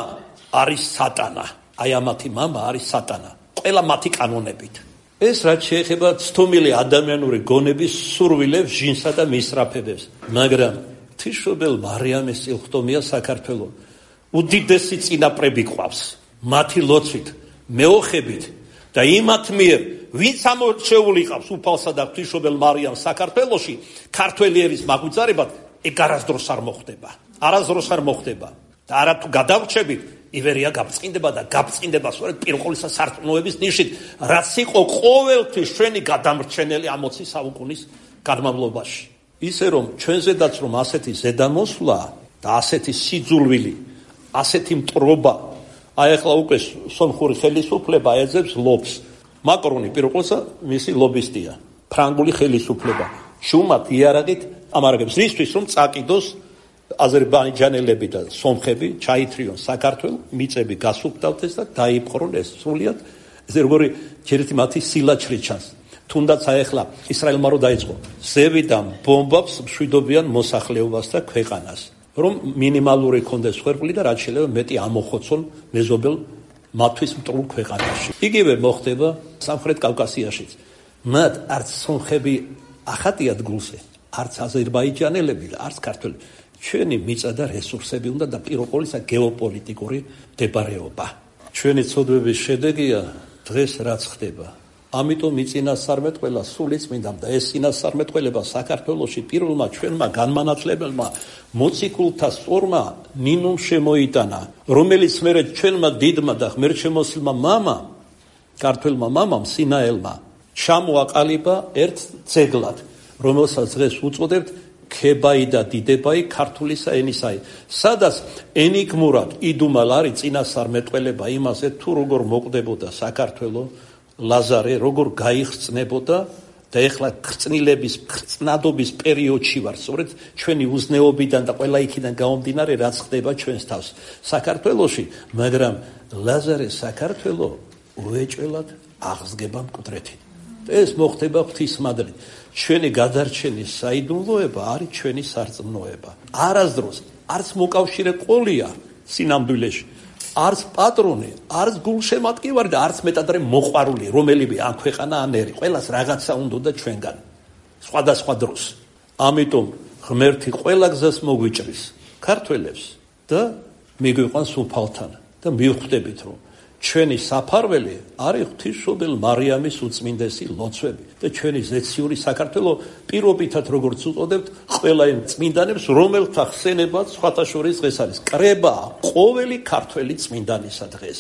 არის სატანა. აი ამათი მამა არის სატანა. ყველა მათი კანონებით. ეს რაც შეეხება ცდომილი ადამიანური გონების სურვილებს, ჟინსა და მისრაფებებს. მაგრამ თიშობელ მარიამის წილხდომია საქართველო. უდიდესი წინაპრები ყავს მათი ლოცვით მეოხებით და იმათ მიერ ვინც ამორჩეული ყავს უფალსა და ღვთისმშობელ მარიამს საქართველოში ქართველი ერის მაგვიძარებად ეგ არასდროს არ მოხდება არასდროს არ მოხდება და არა თუ გადავრჩებით ივერია გაბწყინდება და გაბწყინდება სწორედ პირველისა სარწმუნოების ნიშნით რაც იყო ყოველთვის ჩვენი გადამრჩენელი ამოცი საუკუნის განმავლობაში ისე რომ ჩვენზედაც რომ ასეთი ზედამოსვლა და ასეთი სიძულვილი ასეთი მტრობა აი ახლა უკვე სომხური ხელისუფლება ეძებს ლობს მაკრონი პირველსა მისი ლობისტია ფრანგული ხელისუფლება შუმათ იარაღით ამარაგებს რისთვის რომ წაკიდოს აზერბაიჯანელები და სომხები ჩაითრიონ საქართველოს მიწები გასუფთავდეს და დაიპყრონ ეს სრულიად ესე როგორი ჯერეთი მათი სილაჩრი ჩანს თუნდაც აი ახლა ისრაელმა რო დაიწყო ზევიდან ბომბებს მშვიდობიან მოსახლეობას და ქვეყანას რომ მინიმალური კონდეს ხერხული და რაც შეიძლება მეტი ამოხოცონ მეზობელ მათთვის მტრულ ქვეყანაში იგივე მოხდება სამხრეთ კავკასიაშიც მათ არც სომხები ახატიათ გულზე არც აზერბაიჯანელები და არც ქართველი ჩვენი მიწა და რესურსები უნდა და პირველ ყოვლისა გეოპოლიტიკური მდებარეობა ჩვენი ცოდვების შედეგია დღეს რაც ხდება ამიტომ იწინასწარმეტყველა სული წმინდა და ეს წინასწარმეტყველება საქართველოში პირველმა ჩვენმა განმანათლებელმა მოციქულთა სწორმა ნინომ შემოიტანა რომელიც მერე ჩვენმა დიდმა და ღმერთშემოსილმა მამა ქართველმა მამამ სინაელმა ჩამოაყალიბა ერთ ძეგლად რომელსაც დღეს უწოდებთ ქებაი და დიდებაი ქართულისა ენისაი სადაც ენიგმურად იდუმალ არის წინასწარმეტყველება იმაზე თუ როგორ მოკვდებოდა საქართველოს ლაზარე როგორ გაიხსნებოდა და ეხლა ხრწნილების ხრწნადობის პერიოდში ვარ სწორედ ჩვენი უზნეობიდან და ყველა იქიდან გამომდინარე რაც ხდება ჩვენს თავს საქართველოში მაგრამ ლაზარე საქართველოს უეჭველად აღსგება მკვდრეთით ეს მოხდება ღვთისმადლით ჩვენი გადარჩენის საიდუმლოება არის ჩვენი სარწმუნოება არასდროს არც მოკავშირე ყოლია სინამდვილეში არც პატრონი, არც გულშემატკივარი და არც მეტადრე მოყვარული, რომელიმე ამ ქვეყანა ან ერი, ყველას რაღაცა უნდა ჩვენგან. სხვადასხვა დროს. ამიტომ ღმერთი ყველა გზას მოგვიჭრის ქართველებს და მიგვიყვანს უფალთან და მივხვდებით რომ ჩვენი საფარველი არის ღვთისმშობელ მარიამის უწმინდესი ლოცვები და ჩვენი ზეციური საქართველოს პირობითად როგორც უწოდებთ ყველა იმ წმინდანებს რომელთა ხსენებაც სხვათა შორის დღეს არის კრება ყოველი ქართველი წმინდანისა დღეს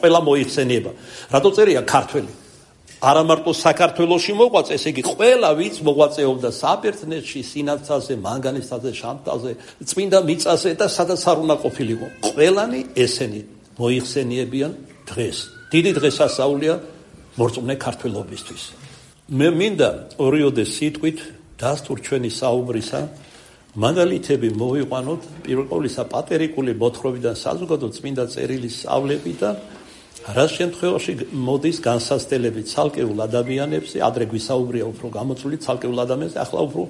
ყველა მოიხსენიება რატო წერია ქართველი არა მარტო საქართველოში მოღვაწე ესე იგი ყველა ვინც მოღვაწეობდა საბერძნეთში სინათლაზე მანგანისთაზე შამთაზე წმინდა მიწაზე და სადაც არ უნდა ყოფილიყო ყველანი ესენი მოიხსენიებიან დღეს დიდი დღესასწაულია მორწმუნე ქართველობისთვის მე მინდა ორიოდე სიტყვით დასტურ ჩვენი საუბრისა მაგალითები მოვიყვანოთ პირველ ყოვლისა პატერიკული მოთხრობიდან საზოგადო წმინდა წერილის სწავლები და რა შემთხვევაში მოდის განსაცდელები ცალკეულ ადამიანებზე ადრე გვისაუბრია უფრო გამოწვეული ცალკეულ ადამიანებზე ახლა უფრო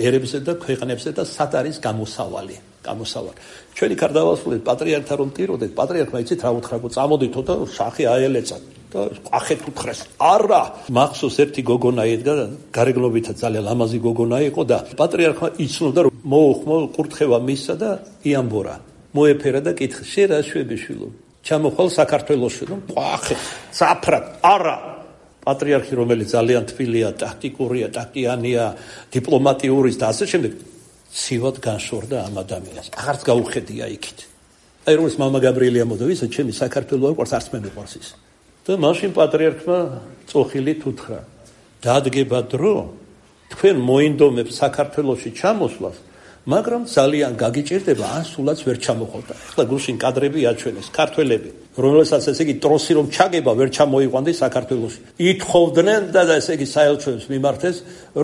ერებზე და ქვეყნებზე და სად არის გამოსავალი გამოსავალი ჩვენი კარდავასული პატრიარქთა რომ ტიროდეთ პატრიარქმა იცით რა უთხრა წამოდითო და სახე აელეცა და ყახეთ უთხრეს არა მახსოვს ერთი გოგონა ედგა გარეგნობითა ძალიან ლამაზი გოგონა იყო და პატრიარქმა იცნობდა რომ მოუხმო კურთხევა მისცა და იამბორა მოეფერა და კითხა შენ რა შვები შვილო ჩამოხვალ საქართველოში რომ ყახეთ საფრად არა პატრიარქი რომელიც ძალიან თბილია ტაქტიკურია ტაქტიანია დიპლომატიური და ასე შემდეგ სივად განშორდა ამ ადამიანს. აღარც გაუხედია იქით. აი როგორც მამა გაბრიელია მოდავის, ჩემი საქართველოს არ ყავს არც მე მიყვარს ის. და მაშინ პატრიარქმა წოხილით უთხრა: "დადგება დრო, თქვენ მოინდომებს საქართველოში ჩამოსვლას, მაგრამ ძალიან გაგიჭირდება ან სულაც ვერ ჩამოხვალთ." ახლა გულშინ კადრები აჩვენეს ქართველები, რომელსაც ესე იგი ტროსი რომ ჩაგება ვერ ჩამოიყვანდეს საქართველოში. ითხოვდნენ და ესე იგი საელჩოებს მიმართეს,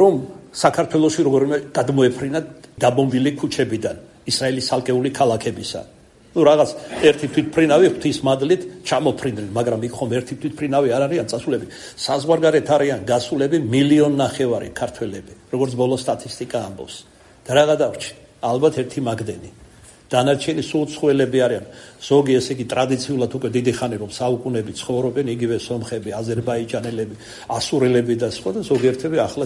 რომ საქართველოში როგორმე გადმოეფრინათ დაბომბილი ქუჩებიდან ისრაელის ცალკეული ქალაქებისა. ნუ რაღაც ერთი თვითფრინავი ღვთისმადლით ჩამოფრინდნენ, მაგრამ იქ ხომ ერთი თვითფრინავი არ არიან წასულები. საზღვარგარეთ არიან გასულები მილიონ ნახევარი ქართველები, როგორც ბოლო სტატისტიკა ამბობს. და რა გადავრჩი? ალბათ ერთი მაგდენი. დანარჩენი სულ ცხოველები არიან. ზოგი ესე იგი ტრადიციულად უკვე დიდი ხანი რომ საუკუნეები ცხოვრობენ, იგივე სომხები, აზერბაიჯანელები, ასურელები და სხვა და ზოგიერთები ახლა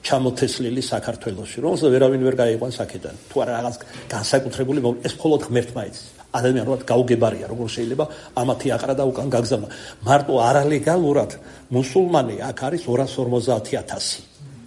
ჩამოთესლილი საქართველოში, რომელსაც ვერავინ ვერ გაიყვანს აქედან. თუ არა რაღაც განსაკუთრებული ეს მხოლოდ ღმერთმა იცის. ადამიანურად გაუგებარია, როგორ შეიძლება ამათი აყრა და უკან გაგზავნა. მარტო არალეგალურად მუსულმანი აქ არის ორას ორმოცდაათი ათასი.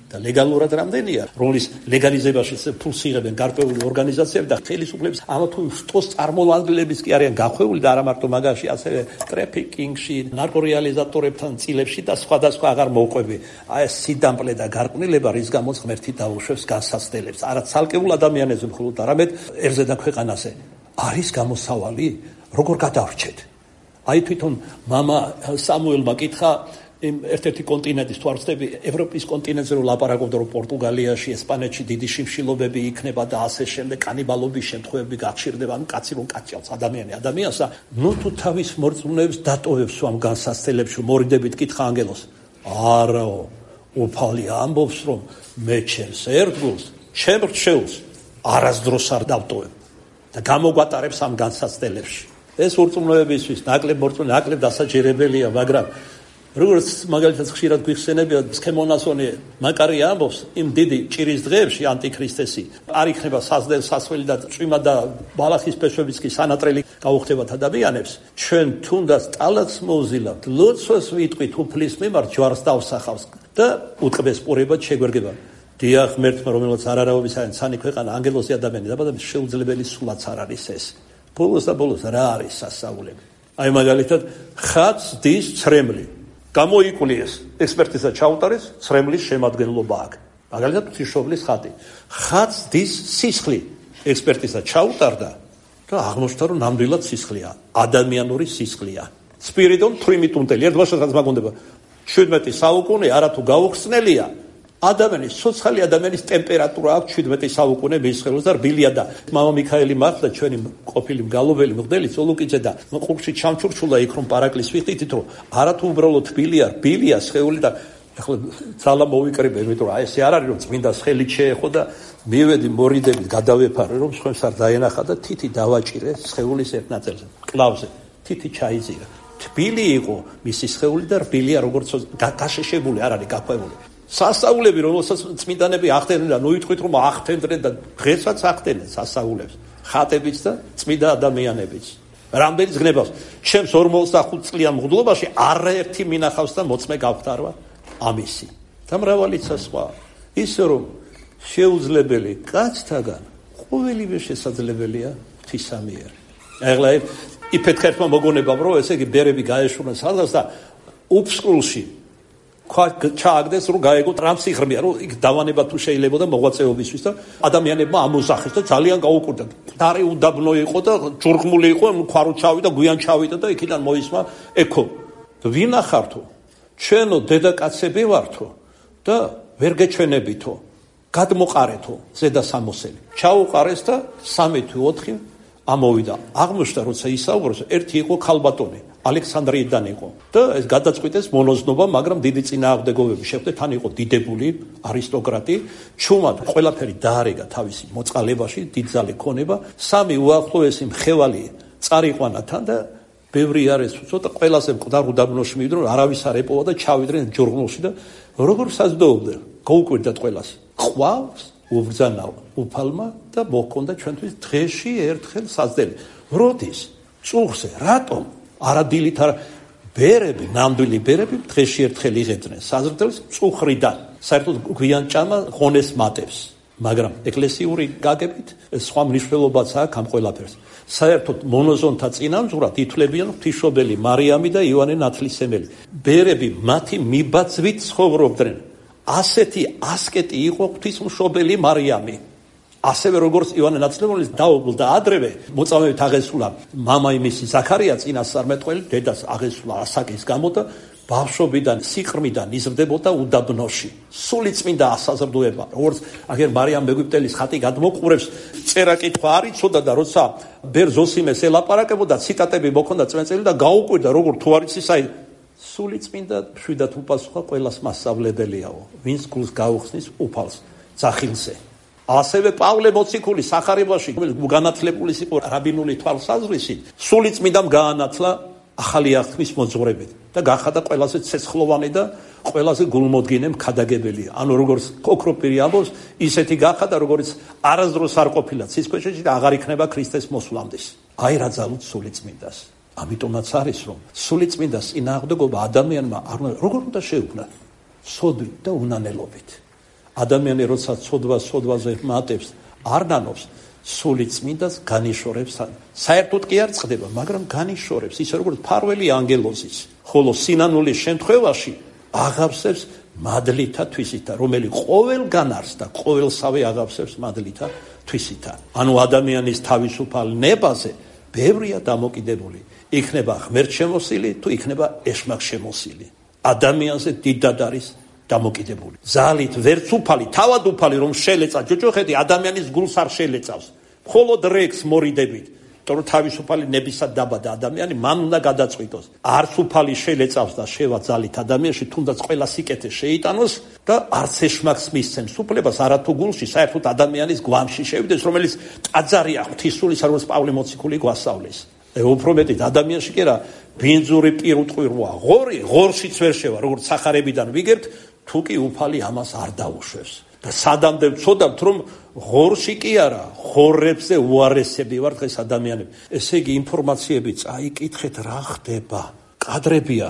და ლეგალურად რამდენია, რომლის ლეგალიზებაში ფულს იღებენ გარკვეული ორგანიზაციები და ხელისუფლების ამა თუ შტოს წარმომადგენლების კი არიან გახვეული და არა მარტო მაგაში, ასევე ტრაფიკინგში, ნარკორეალიზატორებთან წილებში და სხვადასხვა აღარ მოუყვები. აი ეს სიდამპლე და გარყვნილება, რის გამოც ღმერთი დაუშვებს განსაცდელებს. არა ცალკეულ ადამიანებზე მხოლოდ, არამედ ერზე და ქვეყანაზე. არის გამოსავალი, როგორ გადავრჩეთ? აი თვითონ მამა სამუელმა კითხა იმ ერთ-ერთი კონტინენტის თვალწები ევროპის კონტინენტზე რომ ლაპარაკობდა რომ პორტუგალიაში, ესპანეთში დიდი შიმშილობები იქნება და ასე შემდეგ კანიბალობის შემთხვევები გახშირდება, ანუ კაცი რომ კაციავს ადამიანი ადამიანსა, ნუ თუ თავის მორწმუნეებს დატოვებს ამ განსაცდელებში, მორიდებით კითხა ანგელოს. არაო, უფალი ამბობს რომ მე ჩემს ერთგულს, ჩემ რჩეულს არასდროს არ დავტოვებ და გამოგვატარებს ამ განსაცდელებში. ეს მორწმუნეებისთვის ნაკლებ მორწმუნე, ნაკლებ დასაჯერებელია, მაგრამ როგორც მაგალითად ხშირად გვიხსენებია სქემონასონი მაკარია ამბობს იმ დიდი ჭირის დღეებში ანტიქრისტესი არ იქნება საზდელ სასველი და წვიმა და ბალახის ფესვებიც კი სანატრელი გაუხდებათ ადამიანებს ჩვენ თუნდაც ტალაც მოვზილავთ ლოცვას ვიტყვით უფლის მიმართ ჯვარს დავსახავს და უტყბეს პურებად შეგვერგება დიახ ღმერთმა რომელსაც არარავის არის ცანი ქვეყანა ანგელოზი ადამიანი დაბადების შეუძლებელი სულაც არ არის ეს ბოლოს და ბოლოს რა არის სასწაულები აი მაგალითად ხატს დის ცრემლი გამოიკულიეს ექსპერტიზა ჩაუტარეს ცრემლის შემადგენლობა აქ მაგალითად ღვთისმშობლის ხატი ხატს დის სისხლი ექსპერტიზა ჩაუტარდა და აღმოჩნდა რომ ნამდვილად სისხლია ადამიანური სისხლია სპირიდონ თრიმიტუნტელი ერთბაშად რაც მაგონდება შვიდმეტი საუკუნე არათუ გაუხსნელია ადამიანის სოციალური ადამიანის ტემპერატურა აქვს შვიდმეტი საუკუნე მისხელოს და რბილია და მამა მიქაელი მართლა ჩვენი ყოფილი მგალობელი მღვდელი ცოლუკიძე და ყურში ჩამჩურჩულა იქ რომ პარაკლის ვიხდით რომ არათუ უბრალოდ რბილია რბილია სხეული და ახლა ძალა მოვიკრიბე იმიტომ რომ აი ესე არ არის რომ წმინდა ხელით შეეხო და მივედი მორიდებით გადავეფარე რომ სხვებს არ დაენახა და თითი დავაჭირე სხეულის ერთ ნაწილზე კლავზე თითი ჩაიზირა თბილი იყო მისი სხეული და რბილია როგორც გაშეშებული არ არის გაქვეული სასწაულები რომელსაც წმინდანები ახდენენ და ნუ იტყვით რომ ახდენდნენ და დღესაც ახდენენ სასწაულებს ხატებიც და წმინდა ადამიანებიც რამდენი ზგნებას ჩემს ორმოცდახუთ წლიან მღვდლობაში არაერთი მინახავს და მოწმე გავხდარვა ამისი და მრავალიცა სხვა ისე რომ შეუძლებელი კაცთაგან ყოველივე შესაძლებელია ღვთისამიერ ახლა იფეთქერტმა მოგონებამ რომ ესე იგი ბერები გაეშურნენ სადღაც და უფსკულში ჩააგდეს რომ გაეგო ტრანსიხრმია რომ იქ დავანება თუ შეიძლება და მოღვაწეობისთვის და ადამიანებმა ამოსახეს და ძალიან გაუკვირდა. დარი უდაბნო იყო და ჯურღმული იყო, ქვარო ჩავიდა, გვიან ჩავიდა და იქიდან მოისმა ეკო. ვინახართო? ჩვენო დედაკაცები ვართო და ვერ გეჩვენებითო. გადმოყარეთო ზედა სამოსელი. ჩაუყარეს და სამი თუ ოთხი ამოვიდა. აღმოჩნდა როცა ისაუბროს, ერთი იყო ქალბატონი. ალექსანდრიიდან იყო და ეს გადაწყვიტეს მონოზნობა, მაგრამ დიდი წინააღმდეგობები შეხვდა, თან იყო დიდებული არისტოკრატი, ჩუმად ყველაფერი დაარეგა თავისი მოწყალებაში, დიდძალი ქონება, სამი უახლოესი მხევალი წარიყვანა თან და ბევრი არის ცოტა ყველაზე მკვდარ უდაბნოში მივიდნენ, არავის არ ეპოვა და ჩავიდნენ ჯურღმულში და როგორ საზრდოობდნენ, გაუკვირდათ ყველას. ყავს უბრძანა უფალმა და მოჰქონდა ჩვენთვის დღეში ერთხელ საზდელი. როდის? წუხზე, რატომ? არადილით არა ბერები, ნამდვილი ბერები დღეში ერთხელ იღებდნენ საზრდელს წუხრიდან. საერთოდ გვიან ჭამა ღონეს მატებს, მაგრამ ეკლესიური გაგებით სხვა მნიშვნელობაც აქვს ამ ყველაფერს. საერთოდ მონოზონთა წინამძღვრად ითვლებიან ღვთისმშობელი მარიამი და იოანე ნათლისმცემელი. ბერები მათი მიბაძვით ცხოვრობდნენ. ასეთი ასკეტი იყო ღვთისმშობელი მარიამი. ასევე როგორც იოანე ნათლისმცემლის დაობლდა ადრევე მოწამებით აღესულა მამა იმისი ზაქარია წინასწარმეტყველი დედას აღესულა ასაკის გამო და ბავშვობიდან სიყრმიდან იზრდებოდა უდაბნოში სული წმინდა ასაზრდოება როგორც აგერ მარიამ მეგვიპტელის ხატი გადმოყურებს წერა კითხვა არ იცოდა და როცა ბერ ზოსიმეს ელაპარაკებოდა ციტატები მოქონდა წმენწელი და გაუკვირდა როგორ თუ არ იცის აი სული წმინდა შვიდათ უპასუხა ყველას მასწავლებელიაო ვინც გულს გაუხსნის უფალს ძახილზე ასევე პავლე მოციქული სახარებაში განათლებული იყო რაბინული თვალსაზრისით სული წმინდამ გაანათლა ახალი აღთქმის მოძღვრებით და გახადა ყველაზე ცეცხლოვანი და ყველაზე გულმოდგინე მქადაგებელი ანუ როგორც ოქროპირი ამბობს ისეთი გახადა როგორც არასდროს არ ყოფილა ცისქვეშეთში და აღარ იქნება ქრისტეს მოსვლამდე აი რა ძალუც სულიწმინდას. ამიტომაც არის რომ სულიწმინდას წინააღმდეგობა ადამიანმა არ უნდა როგორ უნდა შეუქმნა? სოდვით და უნანელობით. ადამიანი როცა სოდვას სოდვაზე მატებს, არ ნანობს, სულიწმინდას განიშორებს. საერთოდ კი არ წყდება, მაგრამ განიშორებს, ისე როგორც ფარველი ანგელოზის. ხოლო სინანულის შემთხვევაში აღავსებს მადლითა თვისითა, რომელიც ყოველგან არის და ყოველსავე აღავსებს მადლითა თვისითა. ანუ ადამიანის თავისუფალ ნებაზე ბევრია დამოკიდებული. იქნება ღმერთშემოსილი თუ იქნება ეშმაკშემოსილი. ადამიანზე დიდად არის დამოკიდებული. ზალით ვერც უფალი, თავად უფალი რომ შელეცა ჯოჯოხეთი ადამიანის გულს არ შელეცავს. მხოლოდ რეკს მორიდებით. თორემ თავისუფალი ნებისად დაბადა ადამიანი მან უნდა გადაწყვიტოს. არც უფალი შელეცავს და შევა ზალით ადამიანში, თუნდაც ყველა სიკეთე შეიტანოს და არც ეშმაკს მისცემს უფლებას არათუ გულში საერთოდ ადამიანის გვამში შევიდეს, რომელიც ტაძარია ღვთისმსულის, როგორც პავლე მოციქული გვასწავლის. უფრო მეტით ადამიანში კი რა ბინძური პირუტყვიროა, ღორი, ღორშიც ვერ შევა, როგორც სახარებიდან ვიგებთ, თუ კი უფალი ამას არ დაუშვებს. და სადამდე ვწოდავთ რომ ღორში კი არა, ღორებზე უარესები ვარ დღეს ადამიანები. ესე იგი ინფორმაციები წაიკითხეთ რა ხდება. კადრებია,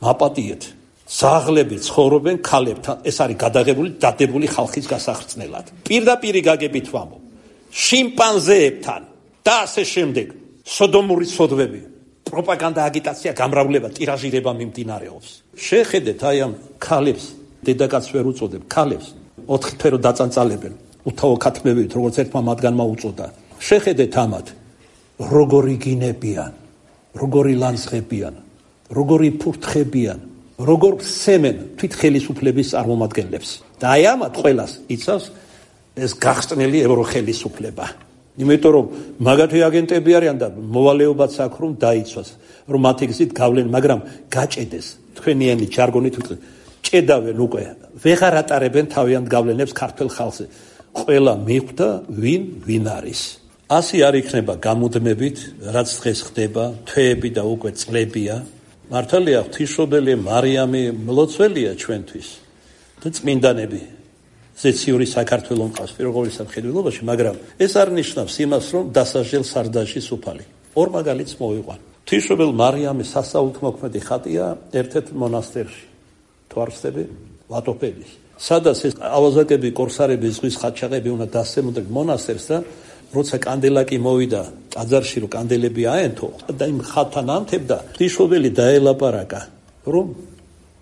მაპატიეთ. ზაღლები ცხოვრობენ ქალებთან. ეს არის გადაღებული დადებული ხალხის გასახრწნელად. პირდაპირი გაგებით ვამბობ. შიმპანზეებთან და ასე შემდეგ. სოდომური სოდვები, პროპაგანდა, აგიტაცია, გამრავლება, ტირაჟირება მიმდინარეობს. შეხედეთ აი ამ ქალებს, დედაკაცს ვერ უწოდებ, ქალებს ოთხი თვერო დაწანწალებენ, უთავო ქათმებით, როგორც ერთმა მათგანმა უწოდა. შეხედეთ ამათ, როგორი გინებიან, როგორი ლანძღებიან, როგორი ფურთხებიან, როგორ სემენ თვით ხელისუფლების წარმომადგენლებს. და აი ამათ ყველას იცავს ეს გახსნელი ევროხელისუფლება. იმიტომ რომ მაგათი აგენტები არიან და მოვალეობაც აქვს რომ დაიცვას, რომ მათი გზით გავლენ, მაგრამ გაჭედეს, თქვენიანი ჯარგონით ვიტყვი, ჭედავენ უკვე, ვეღარ ატარებენ თავიანთ გავლენებს ქართულ ხალხზე. ყველა მიხვდა ვინ ვინ არის. ასე არ იქნება გამუდმებით, რაც დღეს ხდება, თვეები და უკვე წლებია. მართალია ღვთისმშობელი მარიამი მლოცველია ჩვენთვის და წმინდანები ზეციური საქართველოს მყავს პირველყოვლისა მხედველობაში, მაგრამ ეს არ ნიშნავს იმას, რომ დასაჯელ სარდაჟის უფალი. ორ მაგალითს მოვიყვან. ღვთისმშობელ მარიამის სასაუთმოქმედი ხატია ერთ-ერთ მონასტერში. თვარსტები ვატოფედის. სადაც ეს ავაზაკები, კორსარები, ზღვის ხატჩაღები უნდა დასცემოდნენ მონასტერს და როცა კანდელაკი მოვიდა ტაძარში, რომ კანდელები აენთო და იმ ხატთან ანთებდა, ღვთისმშობელი დაელაპარაკა, რომ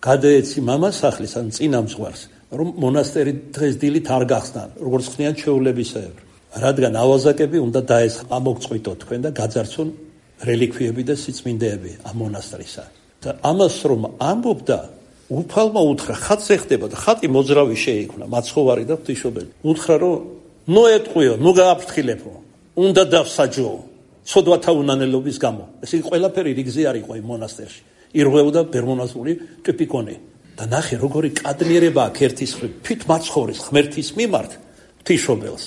გადაეცი მამასახლის ან წინამძღვარს, რომ მონასტერი დღეს დილით არ გახსნან, როგორც ხნიან ჩვეულებისებრ. რადგან ავაზაკები უნდა დაეს ამოგწყვიტოთ თქვენ და გაძარცვონ რელიქვიები და სიწმინდეები ამ მონასტრისა. და ამას რომ ამბობდა, უფალმა უთხრა, ხატზე ხდება და ხატი მოძრავი შეიქმნა, მაცხოვარი და ღვთისმშობელი. უთხრა რომ ნუ ეტყვიო, ნუ გააფრთხილებო, უნდა დავსაჯო, ცოდვათა უნანელობის გამო. ესე იგი ყველაფერი რიგზე არ იყო იმ მონასტერში. ირღვეოდა ბერმონაზული ტიპიკონი. და ნახე როგორი კადნიერება აქვს ერთის მხრივ თვით მაცხოვრის ღმერთის მიმართ ღვთისმშობელს,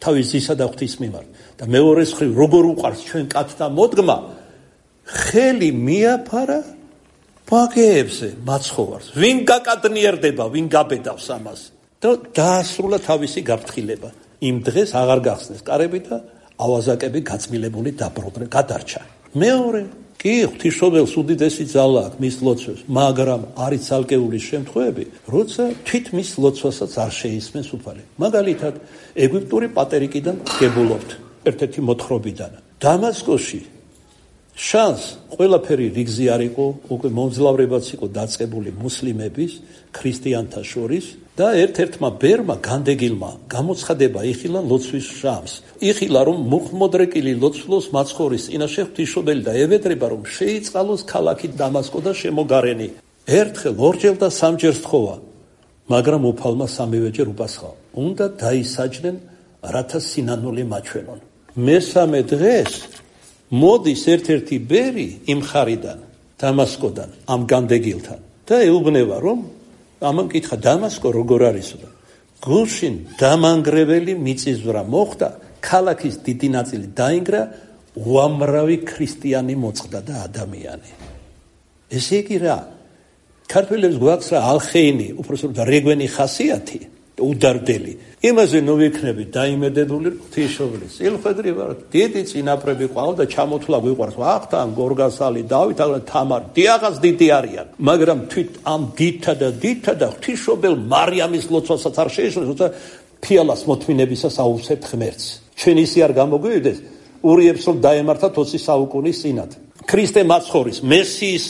თავის ძისა და ღვთის მიმართ. და მეორეს მხრივ როგორ უყარს ჩვენ კაცთა მოდგმა, ხელი მიაფარა ბაგეებზე მაცხოვარს. ვინ გაკადნიერდება, ვინ გაბედავს ამას? და დაასრულა თავისი გაფრთხილება. იმ დღეს აღარ გახსნეს კარები და ავაზაკები გაწმილებული დაბრუნდნენ, გადარჩა. მეორე კი ღვთისმშობელს უდიდესი ძალა აქვს მის ლოცვებს, მაგრამ არის ცალკეული შემთხვევები, როცა თვით მის ლოცვასაც არ შეისმენს უფალი. მაგალითად, ეგვიპტური პატერიკიდან გებულობთ ერთ-ერთი მოთხრობიდან. დამასკოში შანს ყველაფერი რიგზე არ იყო, უკვე მომძლავრებაც იყო დაწყებული მუსლიმების, ქრისტიანთა შორის და ერთ-ერთმა ბერმა განდეგილმა გამოცხადება იხილა ლოცვის შამს. იხილა რომ მუხმოდრეკილი ლოცვლოს მაცხოვრის წინაშე ღვთისმშობელი და ევედრება რომ შეიწყალოს ქალაქი დამასკო და შემოგარენი. ერთხელ, ორჯერ და სამჯერ სთხოვა, მაგრამ უფალმა სამივეჯერ უპასხა. უნდა დაისაჯნენ, რათა სინანული მაჩვენონ. მესამე დღეს მოდის ერთ-ერთი ბერი იმ ხარიდან, დამასკოდან, ამ განდეგილთან და ეუბნება რომ ამან კითხა დამასკო როგორ არისო და გულშინ დამანგრეველი მიწისძვრა მოხდა, ქალაქის დიდი ნაწილი დაინგრა, უამრავი ქრისტიანი მოწყდა და ადამიანი. ესე იგი რა, ქართველებს გვაქვს რა ალხეინი, უпроსტოდ რეგვენი ხასიათი, უდარდელი. იმაზე ნუ ვიქნები დაიმედებული ღვთისმშობლის წილხვედრი ვარ. დიდი წინაპრები ყავდა ჩამოთვლა გვიყვარს ვახტანგ, გორგასალი, დავით, თამარ, დიაღაც დიდი არიან. მაგრამ თვით ამ დიდთა და დიდთა და ღვთისმშობელ მარიამის ლოცვასაც არ შეეშლეს, როცა ფიალას მოთმინებისას აუვსებთ ღმერთს. ჩვენ ისი არ გამოგვივიდეს ურიებს რომ დაემართათ ოცი საუკუნის წინათ. ქრისტე მაცხოვრის მესიის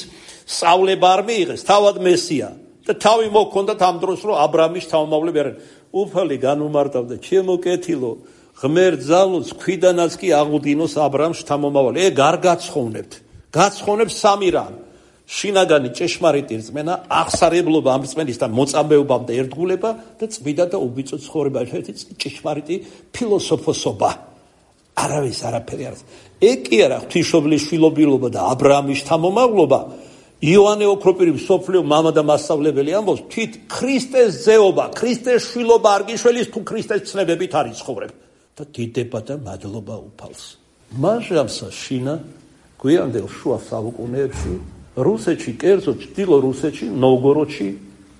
სწავლება არ მიიღეს, თავად მესია და თავი მოქონდათ ამ დროს რომ აბრამის თავმავლები არიან. უფალი განუმარტავდა ჩემო კეთილო ღმერთ ძალოც ქვიდანაც კი აღუდგინოს აბრამს შთამომავალი. ეგ არ გაცხოვნებთ. გაცხოვნებს სამი რამ. შინაგანი ჭეშმარიტი რწმენა, აღსარებლობა ამ რწმენისთან მოწამეობამ და ერთგულება და წმინდა და უბიწო ცხოვრება, ერთ-ერთი ჭეშმარიტი ფილოსოფოსობა. არავის არაფერი არის. ეგ კი არა ღვთისმშობლის შვილობილობა და აბრაამის შთამომავლობა. იოანე ოქროპირი მსოფლიო მამა და მასწავლებელი ამბობს, თვით ქრისტეს ძეობა, ქრისტეს შვილობა არ გიშველის თუ ქრისტეს ცნებებით არ იცხოვრებ და დიდება და მადლობა უფალს. მაჟამსა შინა გვიანდელ შუა საუკუნეებში რუსეთში, კერძოდ ჩრდილო რუსეთში, ნოვგოროდში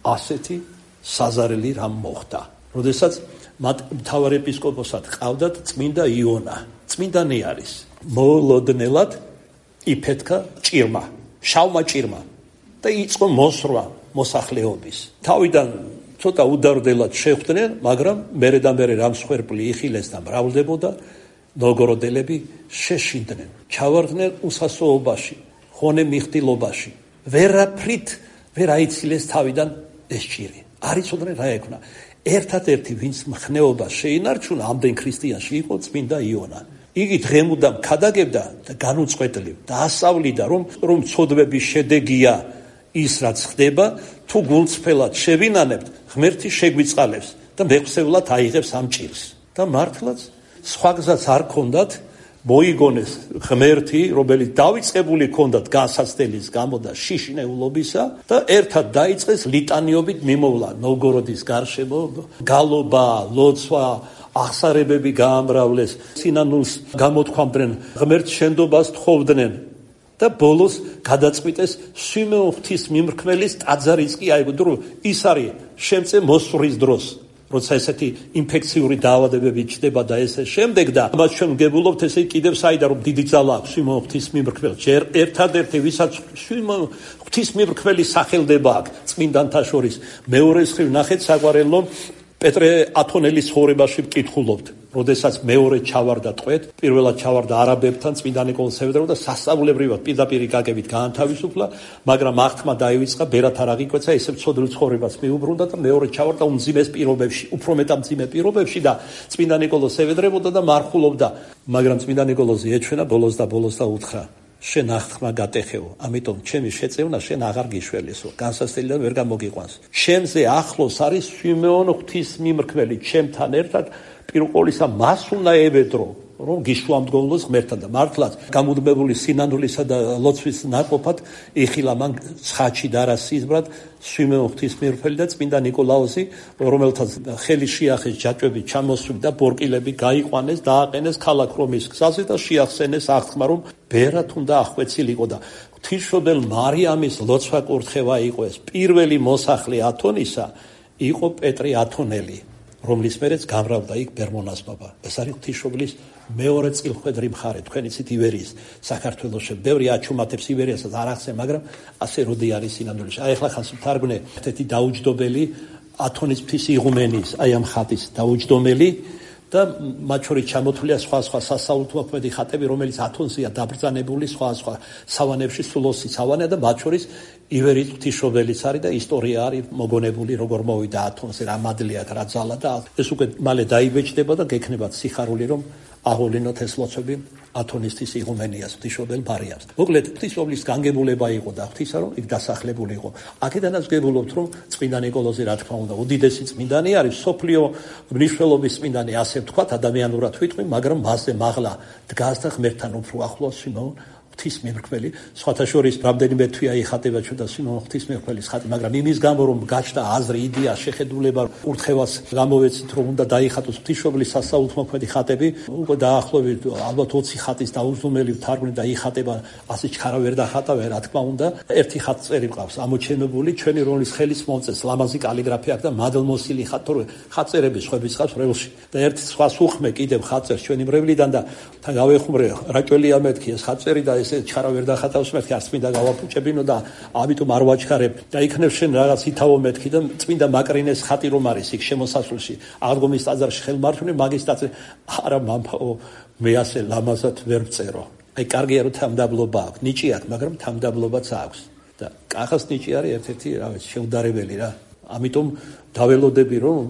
ასეთი საზარელი რამ მოხდა. როდესაც მათ მთავარ ეპისკოპოსად ყავდათ წმინდა იონა, წმინდანი არის. მოულოდნელად იფეთქა ჭირმა, შავმა ჭირმა და იწყო მოსრვა მოსახლეობის. თავიდან ცოტა უდარდელად შეხვდნენ, მაგრამ მერე და მერე რამ სხერპლი იხილეს და მრავლდებოდა, ნოვგოროდელები შეშინდნენ, ჩავარდნენ უსასოობაში, ხონე მიხდილობაში. ვერაფრით ვერ აიცილეს თავიდან ეს ჭირი. არ იცოდნენ რა ეკונה. ერთადერთი ვინც მხნეობას შეინარჩუნა ამდენ ქრისტიანში იყო წმინდა იონა. იგი დღემუდამ ქადაგებდა და განუწყვეტლივ და ასავლიდა რომ რომ ცოდვების შედეგია ის რაც ხდება, თუ გულწრფელად შევინანებთ, ღმერთი შეგვიწყალებს და მეხსევლად აიღებს ამ ჭირს. და მართლაც სხვა გზაც არ ქონდათ, მოიგონეს ღმერთი, რომელიც დავიწყებული ქონდათ განსაცდელის გამო და შიშნეულობისა და ერთად დაიწყეს ლიტანიობით მიმოვლა ნოვგოროდის გარშემო, გალობა, ლოცვა, აღსარებები გაამრავლეს, სინანულს გამოთქვამდნენ, ღმერთს შენდობას თხოვდნენ და ბოლოს გადაწყვიტეს სვიმეონ ღვთისმიმრქმელის ტაძარიც კი აიგო, ის არის შემწე მოსვრის დროს. როცა ესეთი ინფექციური დაავადებები ჩდება და ესე შემდეგ და ამას ჩვენ ვგებულობთ ესე კიდევ საიდან რომ დიდი ძალა აქვს სვიმეონ ღვთისმიმრქმელს. ჯერ ერთადერთი ვისაც სვიმეონ ღვთისმიმრქმელის სახელდება აქვს წმინდანთა შორის. მეორეს ხრივ ნახეთ საგვარელო პეტრე ათონელის ცხოვრებაში ვკითხულობთ. როდესაც მეორე ჩავარდა ტყვედ, პირველად ჩავარდა არაბებთან წმინდა ნიკოლოზ სევედრო და სასწაულებრივად პირდაპირი გაგებით გაანთავისუფლა, მაგრამ აღთმა დაივიწყა, ბერად არ აღიკვეცა, ესე მცოდნ ცხოვრებას მიუბრუნდა და მეორე ჩავარდა უმძიმეს პირობებში, უფრო მეტად მძიმე პირობებში და წმინდა ნიკოლოზ სევედრებოდა და მარხულობდა. მაგრამ წმინდა ნიკოლოზი ეჩვენა ბოლოს და ბოლოს და უთხრა: შენ აღთმა გატეხეო, ამიტომ ჩემი შეწევნა შენ აღარ გიშველესო, განსასწრებად ვერ გამოგიყვანს. ჩემზე ახლოს არის სვიმეონ ღვთისმიმრქმელი, ჩემთან ერთად პირყოლისა მას უნდა ევედრო, რომ გიშვამდგომლოს ღმერთთან და მართლაც გამუდმებული სინანულისა და ლოცვის ნაკოფად იხილა მან ცხაჩი დარასიზბრად სვიმეონ ღვთისმიმრქმელი და წმინდა ნიკოლაოზი, რომელთაც ხელი შეახეს ჯაჭვები ჩამოსვით და ბორკილები გაიყვანეს, დააყენეს ქალაქ რომის გზაზე და შეახსენეს აღთქმა, რომ ბერად უნდა აღკვეცილიყო და ღვთისმშობელ მარიამის ლოცვა კურთხევა იყო ეს. პირველი მოსახლე ათონისა იყო პეტრე ათონელი, რომლის მერეც გამრავდა იქ ბერმონაზნობა. ეს არის ღვთისმშობლის მეორე წილხვედრი მხარე. თქვენ იცით ივერიის საქართველოში ბევრი აჩუმათებს ივერიასაც არ ახსენ, მაგრამ ასე როდი არის სინამდვილეში. აი ახლა ხანს ვთარგმნე ერთი დაუჯდომელი ათონის მთის იღუმენის, აი ამ ხატის დაუჯდომელი და მათ შორის ჩამოთვლილია სხვა სხვა სასაულთმოქმედი ხატები, რომელიც ათონზეა დაბრძანებული სხვა სხვა სავანებში, სულოსი სავანია და მათ შორის ივერიის ღვთისმშობელიც არის და ისტორია არის მოგონებული, როგორ მოვიდა ათონზე, რა მადლი აქვს, რა ძალა და ეს უკვე მალე დაიბეჭდება და გექნებათ სიხარული, რომ აღოვლინოთ ეს ლოცვები ათონისთვის იღუმენიას, ღვთისმშობელ მარიამს. მოკლედ, ღვთისმშობლის განგებულება იყო და ღვთისა რომ იქ დასახლებული იყო. აქედანაც ვგებულობთ, რომ წმინდა ნიკოლოზი, რა თქმა უნდა, უდიდესი წმინდანი არის, სოფლიო მნიშვნელობის წმინდანი, ასე ვთქვათ, ადამიანურად ვიტყვი, მაგრამ მასზე მაღლა დგას და ღმერთთან უფრო ახლოს სვიმეონ ღვთისმემრკველი, სხვათა შორის რამდენიმე თვეა იხატება ჩვენთან სიმონ ღვთისმემრკველის ხატი, მაგრამ იმის გამო რომ გაჩნდა აზრი, იდეა, შეხედულება, კურთხევას გამოვეცით რომ უნდა დაიხატოს ღვთისმშობლის სასაულთმოქმედი ხატები, უკვე დაახლოებით ალბათ ოცი ხატის დაუზომელი თარგმნი და იხატება, ასე ჩქარა ვერ დახატავენ, რა თქმა უნდა. ერთი ხატწერი მყავს ამოჩენებული, ჩვენი რომლის ხელის მომწეს ლამაზი კალიგრაფია აქვს და მადლმოსილი ხატ, თორე ხატწერები სხვების ხავს ბრელში. და ერთ სხვა სუხმე კიდევ ხატწერს ჩვენი მრევლიდან და თან გავეხუმრე რაჭველია მეთქი ეს ხატწერი და ესე ჩქარა ვერ დახატავს მეთქი, არც მინდა გავაფუჭებინო და ამიტომ არ ვაჩქარებ. და იქნებ შენ რაღაც ითავო მეთქი და წმინდა მაკრინეს ხატი რომ არის იქ შემოსასვლელში აღდგომის ტაძარში ხელმართული მაგის ტაძარი არა მამაო მე ასე ლამაზად ვერ ვწერო. აი კარგია რომ თამდაბლობა აქვს, ნიჭი აქვს, მაგრამ თამდაბლობაც აქვს. და კახას ნიჭი არის ერთ-ერთი რა ვიცი შეუდარებელი რა. ამიტომ დაველოდები რომ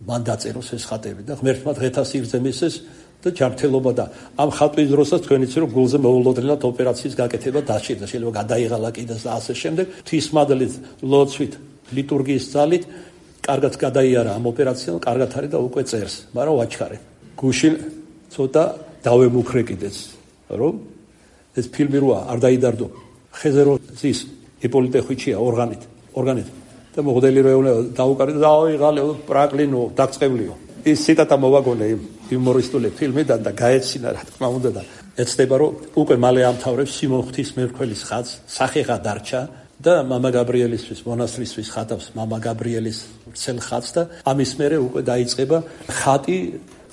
მან დაწეროს ეს ხატები და ღმერთმა დღეთა სიგრძე მისცეს და ჯანმრთელობა და ამ ხატვის დროსაც თქვენიც რომ გულზე მოულოდნელად ოპერაციის გაკეთება დაჭირდა, შეიძლება გადაიღალა კიდეც და ასე შემდეგ. ღვთისმადლით, ლოცვით, ლიტურგიის ძალით კარგად გადაიარა ამ ოპერაციამ, კარგად არის და უკვე წერს, მაგრამ ვაჩქარე. გუშინ ცოტა დავემუქრე კიდეც, რომ ეს ფილმი როა არ დაიდარდო. ხეზე რო ზის იპოლიტე ხვიჩია ორგანით, ორგანით და მოგდელი რო ეუნა დაუკარი და დაიღალე პრაკლინო დაგწყევლიო. ის ციტატა მოვაგონე იმ იუმორისტული ფილმიდან და გაეცინა რა თქმა უნდა და ეცდება რომ უკვე მალე ამთავრებს სიმონ ღვთისმემრკველის ხატს, სახეღა დარჩა და მამა გაბრიელისთვის მონასტრისთვის ხატავს მამა გაბრიელის ვრცელ ხატს და ამის მერე უკვე დაიწყება ხატი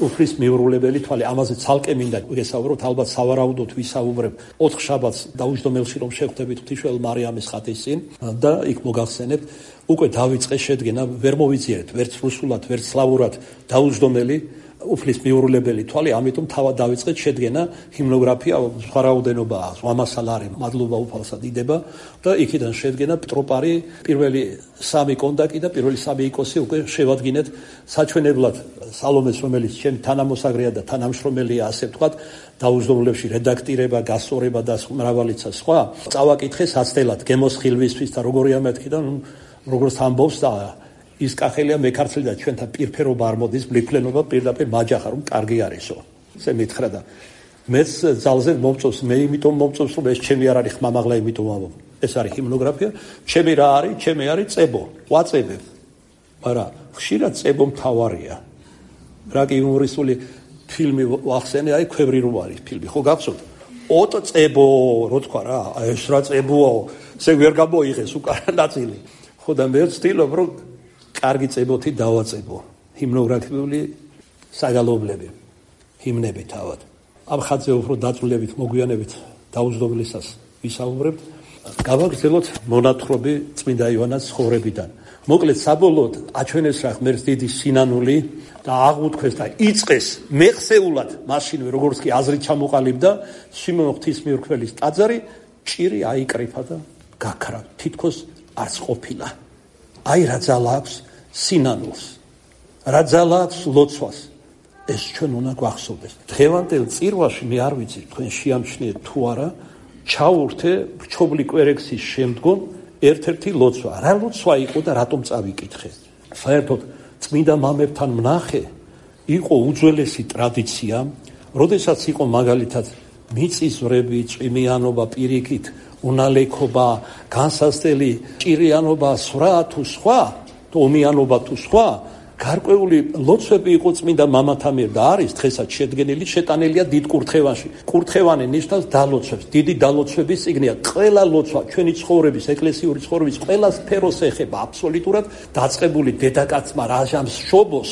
უფლის მიურულებელი თვალი. ამაზე ცალკე მინდა გესაუბროთ, ალბათ სავარაუდოდ ვისაუბრებ ოთხ შაბათს დაუჯდომელში რომ შევხვდებით ღვთისმშობელ მარიამის ხატის წინ და იქ მოგახსენებთ უკვე დავიწყე შედგენა, ვერ მოვიძიერეთ ვერც რუსულად, ვერც სლავურად დაუჯდომელი უფლის მიურულებელი თვალი, ამიტომ თავად დავიწყეთ შედგენა ჰიმნოგრაფია, სხვა რაოდენობაა, ზვამასალარი, მადლობა უფალსა დიდება და იქიდან შედგენა ტროპარი, პირველი სამი კონდაკი და პირველი სამი იკოსი უკვე შევადგინეთ საჩვენებლად სალომეს, რომელიც ჩემი თანამოსაგრეა და თანამშრომელია, ასე ვთქვათ, დაუჯდომლებში რედაქტირება, გასწორება და მრავალიცა სხვა. წავაკითხე საცდელად გემოსხილვისთვის და როგორია მეთქი და როგორც ამბობს და ის კახელია მეკარცლი და ჩვენთან პირფერობა არ მოდის, ბლიფლენობა პირდაპირ მაჯახა რომ კარგი არისო. ესე მითხრა და მეც ძალზე მომწონს, მე იმიტომ მომწონს რომ ეს ჩემი არ არის ხმამაღლა, იმიტომ ამბობ. ეს არის ჰიმნოგრაფია, ჩემი რა არის? ჩემი არის წებო, ყვაწებებ. მაგრამ ხშირად წებო მთავარია. რა კი იუმორისტული ფილმი ვახსენე, აი ქვევრი რომ არის ფილმი, ხო გახსოვთ? ოტო წებო, რო თქვა რა, ეს რა წებოა, ესე ვერ გამოიღეს უკანა ნაწილი. ხო და მე ვცდილობ რომ კარგი წებოთი დავაწებო ჰიმნოგრაფიული საგალობლები, ჰიმნები თავად. ამ ხატზე უფრო დაწვრილებით მოგვიანებით დაუჯდომლისას ვისაუბრებთ. გავაგრძელოთ მონათხრობი წმინდა იოანეს ცხოვრებიდან. მოკლედ საბოლოოდ აჩვენეს რა ღმერთს დიდი სინანული და აღუთქვეს და იწყეს მეხსეულად მაშინვე როგორც კი აზრი ჩამოყალიბდა სიმონ ღვთისმემრკველის ტაძარი ჭირი აიკრიფა და გაქრა, თითქოს არც ყოფილა. აი რა ძალა აქვს სინანულს, რა ძალა აქვს ლოცვას, ეს ჩვენ უნდა გვახსოვდეს. დღევანდელ წირვაში მე არ ვიცი თქვენ შეამჩნიეთ თუ არა, ჩაურთე რჩობლი კვერექსის შემდგომ ერთ-ერთი ლოცვა. რა ლოცვა იყო და რატომ წავიკითხე? საერთოდ წმინდა მამებთან მნახე იყო უძველესი ტრადიცია, როდესაც იყო მაგალითად მიწისძვრები, წვიმიანობა, პირიქით უნალექობა, განსასწრელი ჭირიანობა, სვრა თუ სხვა, ომიანობა თუ სხვა, გარკვეული ლოცვები იყო წმინდა მამათა მიერ და არის დღესაც შედგენილი, შეტანილია დიდ კურთხევანში. კურთხევანი ნიშნავს დალოცვებს, დიდი დალოცვების წიგნია. ყველა ლოცვა ჩვენი ცხოვრების, ეკლესიური ცხოვრების ყველა სფეროს ეხება აბსოლუტურად, დაწყებული დედაკაცმა რაჟამს შობოს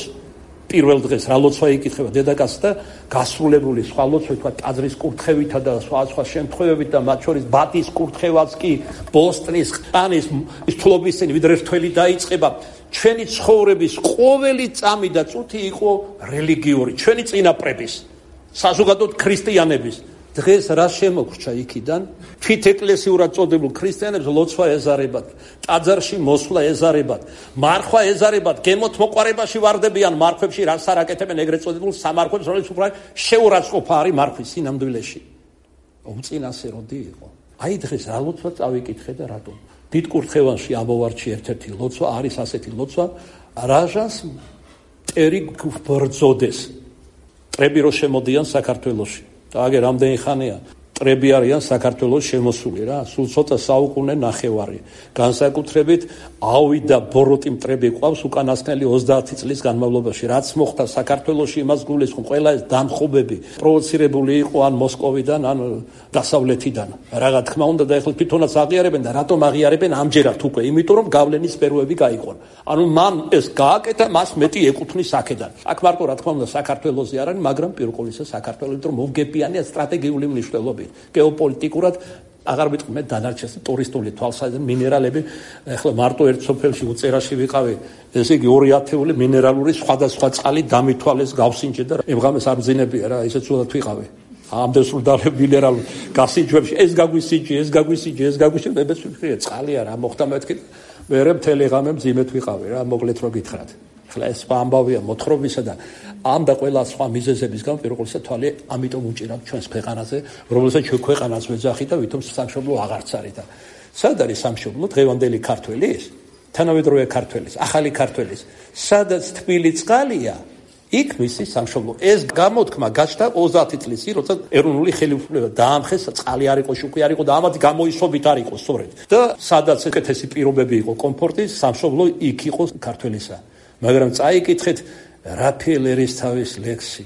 პირველ დღეს რა ლოცვა იკითხება დედაკაცს და გასრულებული სხვა ლოცვა, თქვა ტაძრის კურთხევითა და სხვა სხვა შემთხვევებით და მათ შორის ბატის კურთხევაც კი ბოსტნის, ყანის, ის თლობისცემი ვიდრე რთველი დაიწყება. ჩვენი ცხოვრების ყოველი წამი და წუთი იყო რელიგიური, ჩვენი წინაპრების, საზოგადოოდ ქრისტიანების. დღეს რა შემოგრჩა იქიდან? თვით ეკლესიურად წოდებულ ქრისტიანებს ლოცვა ეზარებათ, ტაძარში მოსვლა ეზარებათ, მარხვა ეზარებათ, გემოთ მოყარებაში ვარდებიან მარხვებში, რას არ აკეთებენ ეგრეთ წოდებულ სამარხვებს, რომელიც უფრო შეურაცხყოფა არის მარხვის სინამდვილეში. უმწინასეროდი იყო. აი დღეს რა ლოცვა წავიკითხე და რატომ? დიდ კურთხევანში ამოვარჩი ერთ-ერთი ლოცვა, არის ასეთი ლოცვა, რაჟას მტერი ბრძოდეს. ტრები რო შემოდიან საქართველოში. და აგერ რამდენი ხანია მტრები არიან საქართველოს შემოსული რა, სულ ცოტა საუკუნე ნახევარი. განსაკუთრებით ავი და ბოროტი მტრები ყავს უკანასკნელი ოცდაათი წლის განმავლობაში. რაც მოხდა საქართველოში, იმას გულისხმობ, ყველა ეს დამხობები პროვოცირებული იყო ან მოსკოვიდან, ან დასავლეთიდან. რა თქმა უნდა და ეხლა თვითონაც აღიარებენ და რატომ აღიარებენ ამჯერად უკვე? იმიტომ რომ გავლენის სფეროები გაიყო. ანუ მან ეს გააკეთა, მას მეტი ეკუთვნის აქედან. აქ მარტო რა თქმა უნდა საქართველოსი არ არის, მაგრამ პირველ ყოვლისა საქართველოს რომ მოვგებიანია სტრატეგიული მნიშვნელობით. გეოპოლიტიკურად აღარ ვიტყვი მე დანარჩენს ტურისტული თვალსაზრისით მინერალები ახლა მარტო ერთ სოფელში უწერაში ვიყავი ესე იგი ორი ათეული მინერალური სხვადასხვა წყალი დამithვალეს გავსინჯე და ემღამეს არ ბძინებია რა ისე ცუდად ვიყავი ამდენ სრულდალე მინერალურ გასინჯვებში ეს გაგვისინჯი ეს გაგვისინჯი ეს გაგვისინჯი მე ვფიქრე წყალია რა მოხდა მეთქი მერე მთელი ღამე მძიმედ ვიყავი რა მოგლეთ რო გითხრათ ახლა ეს ამბავია მოთხრობისა და ამ და ყველა სხვა მიზეზების გამო პირველ ყოვლისა თვალე ამიტომ უჭირავთ ჩვენს ქვეყანაზე რომელსაც ჩვენ ქვეყანას ვეძახით და ვითომ სამშობლო აღარც არის და სად არის სამშობლო დღევანდელი ქართველის თანამედროვე ქართველის ახალი ქართველის სადაც თბილი წყალია იქ მისი სამშობლო ეს გამოთქმა გაჩნდა ოცდაათი წლის წინ როცა ეროვნული ხელისუფლება დაამხეს წყალი არ იყო შუქი არ იყო და ამათ გამოისობით არ იყო სწორედ და სადაც ეკეთესი პირობები იყო კომფორტის სამშობლო იქ იყო ქართველისა მაგრამ წაიკითხეთ რაფაელ ერისთავის ლექსი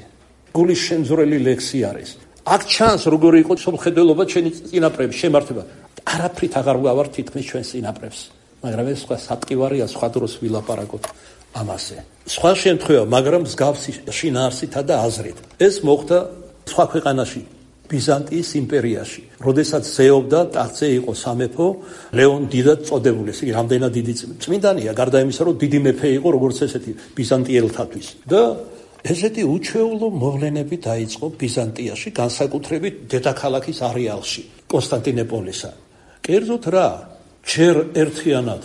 გულის შემზრელი ლექსი არის აქ ჩანს როგორი იყო სამხედველობა ჩვენი წინაპრების შემართება არაფრით აღარ ვავარ თითქმის ჩვენს წინაპრებს მაგრამ ეს სხვა სატკივარია სხვა დროს ვილაპარაკოთ ამაზე სხვა შემთხვევა მაგრამ მსგავსი შინაარსითა და აზრით ეს მოხდა სხვა ქვეყანაში ბიზანტიის იმპერიაში როდესაც ზეობდა ტახტზე იყო სამეფო ლეონ დიდად წოდებული ესე იგი რამდენად დიდი წმინდანია გარდა იმისა რომ დიდი მეფე იყო როგორც ესეთი ბიზანტიელთათვის და ესეთი უჩვეულო მოვლენები დაიწყო ბიზანტიაში განსაკუთრებით დედაქალაქის არეალში კონსტანტინოპოლისა კერძოდ რა ჯერ ერთიანად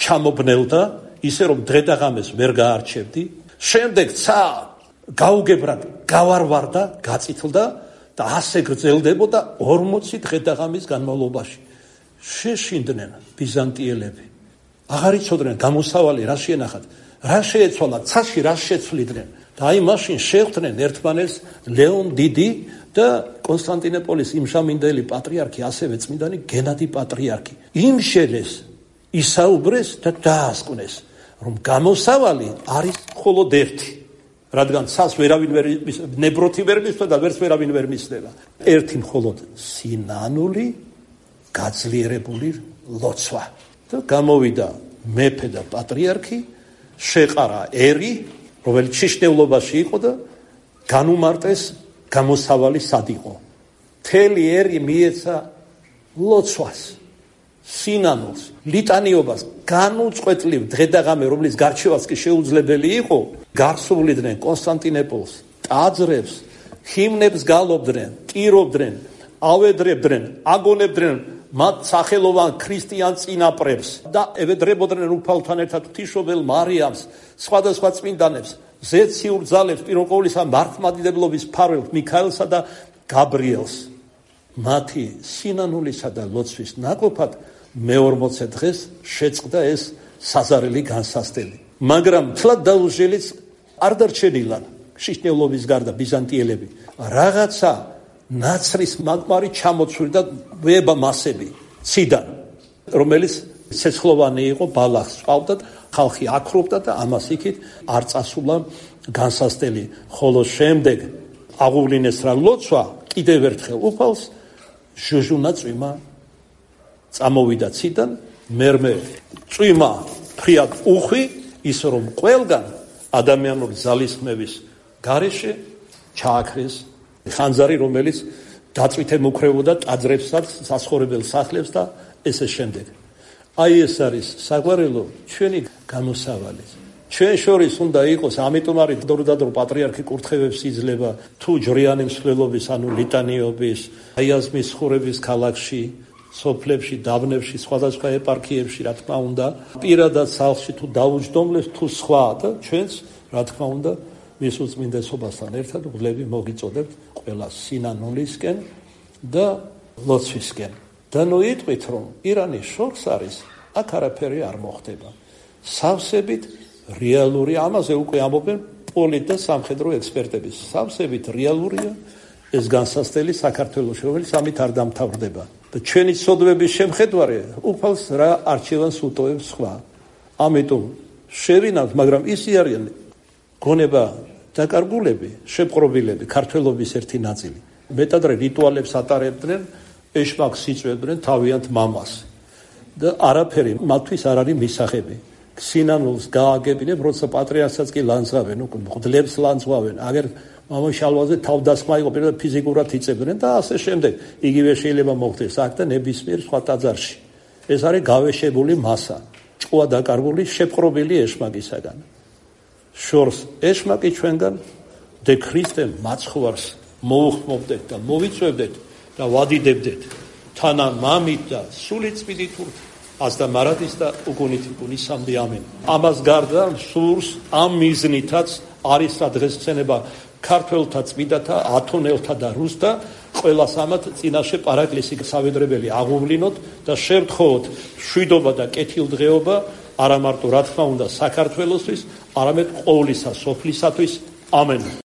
ჩამობნელდა ისე რომ დღე და ღამეს ვერ გაარჩევდი შემდეგ ცა გაუგებრად გავარვარდა გაწითლდა და ასე გრძელდებოდა ორმოცი დღე და ღამის განმავლობაში შეშინდნენ ბიზანტიელები აღარ იცოდნენ გამოსავალი რა შეენახათ რა შეეცვალა ცაში რა შეცვლიდნენ და აი მაშინ შეხვდნენ ერთმანეთს ლეონ დიდი და კონსტანტინოპოლის იმჟამინდელი პატრიარქი ასევე წმინდანი გენადი პატრიარქი იმშელეს ისაუბრეს და დაასკვნეს რომ გამოსავალი არის მხოლოდ ერთი რადგან ცას ვერავინ ვერ ნებროთი ვერ მისვლა და ვერც ვერავინ ვერ მისდება ერთი მხოლოდ სინანული გაძლიერებული ლოცვა და გამოვიდა მეფე და პატრიარქი შეყარა ერი რომელიც შიშნეულობაში იყო და განუმარტეს გამოსავალი სად იყო მთელი ერი მიეცა ლოცვას სინანულს ლიტანიობას განუწყვეტლივ დღე და ღამე რომლის გარჩევაც კი შეუძლებელი იყო გარსუვლიდნენ კონსტანტინოპოლს ტაძრებს ჰიმნებს გალობდნენ ტირობდნენ ავედრებდნენ აგონებდნენ მათ სახელოვან ქრისტიან წინაპრებს და ევედრებოდნენ უფალთან ერთად ღვთისმშობელ მარიამს სხვადასხვა წმინდანებს ზეციურ ძალებს პირველ ყოვლისა მართლმადიდებლობის მფარველს მიქაელსა და გაბრიელს მათი სინანულისა და ლოცვის ნაკოფად მეორმოცე დღეს შეწყდა ეს საზარელი განსასწრელი მაგრამ თლად დაუჟელიც არ დარჩენილან შიშნეულობის გარდა ბიზანტიელები რაღაცა ნაცრის მაგმარი ჩამოცვირდა და ვება მასები ციდან რომელიც ცეცხლოვანი იყო ბალახს წავდა ხალხი აკრობდა და ამას იქით არ წასულა განსასწრელი ხოლო შემდეგ აღუვლინეს რა ლოცვა კიდევ ერთხელ უფალს ჟუჟუნა წვიმა წამოვიდა ციდან მერმე წვიმა ფრიად უხვი ის რომ ყველგან ადამიანური ძალისხმევის გარეშე ჩააქრეს ხანძარი რომელიც დაწვითე მუქრებოდა ტაძრებსაც საცხოვრებელ სახლებს და ესე შემდეგ აი ეს არის საგვარელო ჩვენი გამოსავალი ჩვენ შორის უნდა იყოს ამიტომ არის დროდადრო პატრიარქი კურთხევებს იძლევა თუ ჯრიანი მსვლელობის ანუ ლიტანიობის აიაზმის ხურების ქალაქში სოფლებში დაბნებში სხვადასხვა ეპარქიებში რა თქმა უნდა პირადად სახლში თუ დაუჯდომლებს თუ სხვა და ჩვენს რა თქმა უნდა მის უწმინდესობასთან ერთად ვლები მოგიწოდებთ ყველა სინანულისკენ და ლოცვისკენ და ნუ იტყვით რომ ირანის შორს არის აქ არაფერი არ მოხდება სავსებით რეალური ამაზე უკვე ამობენ პოლიტ და სამხედრო ექსპერტები სავსებით რეალურია ეს განსასწრელი საქართველოს რომელიც ამით არ დამთავრდება და ჩვენი სოდვების შემხედვარე უფალს რა არჩევანს უტოვებს სხვა. ამიტომ შევინავთ, მაგრამ ისი არიან გონება დაკარგულები, შეპყრობილები, ქართველობის ერთი ნაწილი. მეტადრე რიტუალებს ატარებდნენ, ეშმაკს იწვევდნენ თავიანთ მამას. და არაფერი მათთვის არ არის მისაღები. სინანულს გააგებინებ, როცა პატრიარქსაც კი ლანძღავენ, მღვდლებს ლანძღავენ, აგერ მამაშალვაზე თავდასხმა იყო, პირველად ფიზიკურად იწებდნენ და ასე შემდეგ. იგივე შეიძლება მოხდეს აქ და ნებისმიერ სხვა ტაძარში. ეს არის გავეშებული მასა, ჭკუა დაკარგული, შეპყრობილი ეშმაკისაგან. შორს ეშმაკი ჩვენგან დე ქრისტემ მაცხვარს მოუხმობდეთ და მოვიწვევდეთ და ვადიდებდეთ თანა მამით და სული წმინდით ასდა მარადის და უგუნით გუნისამდე ამენ. ამას გარდა სურს ამ მიზნითაც არის რა დღესწენება ქართველთა წმინდათა, ათონელთა და რუსთა ყველას ამათ წინაშე პარაკლისი სავედრებელი აღუვლინოთ და შევთხოვოთ შვიდობა და კეთილდღეობა არა მარტო რა თქმა უნდა საქართველოსთვის, არამედ ყოვლისა სოფლისათვის. ამენ.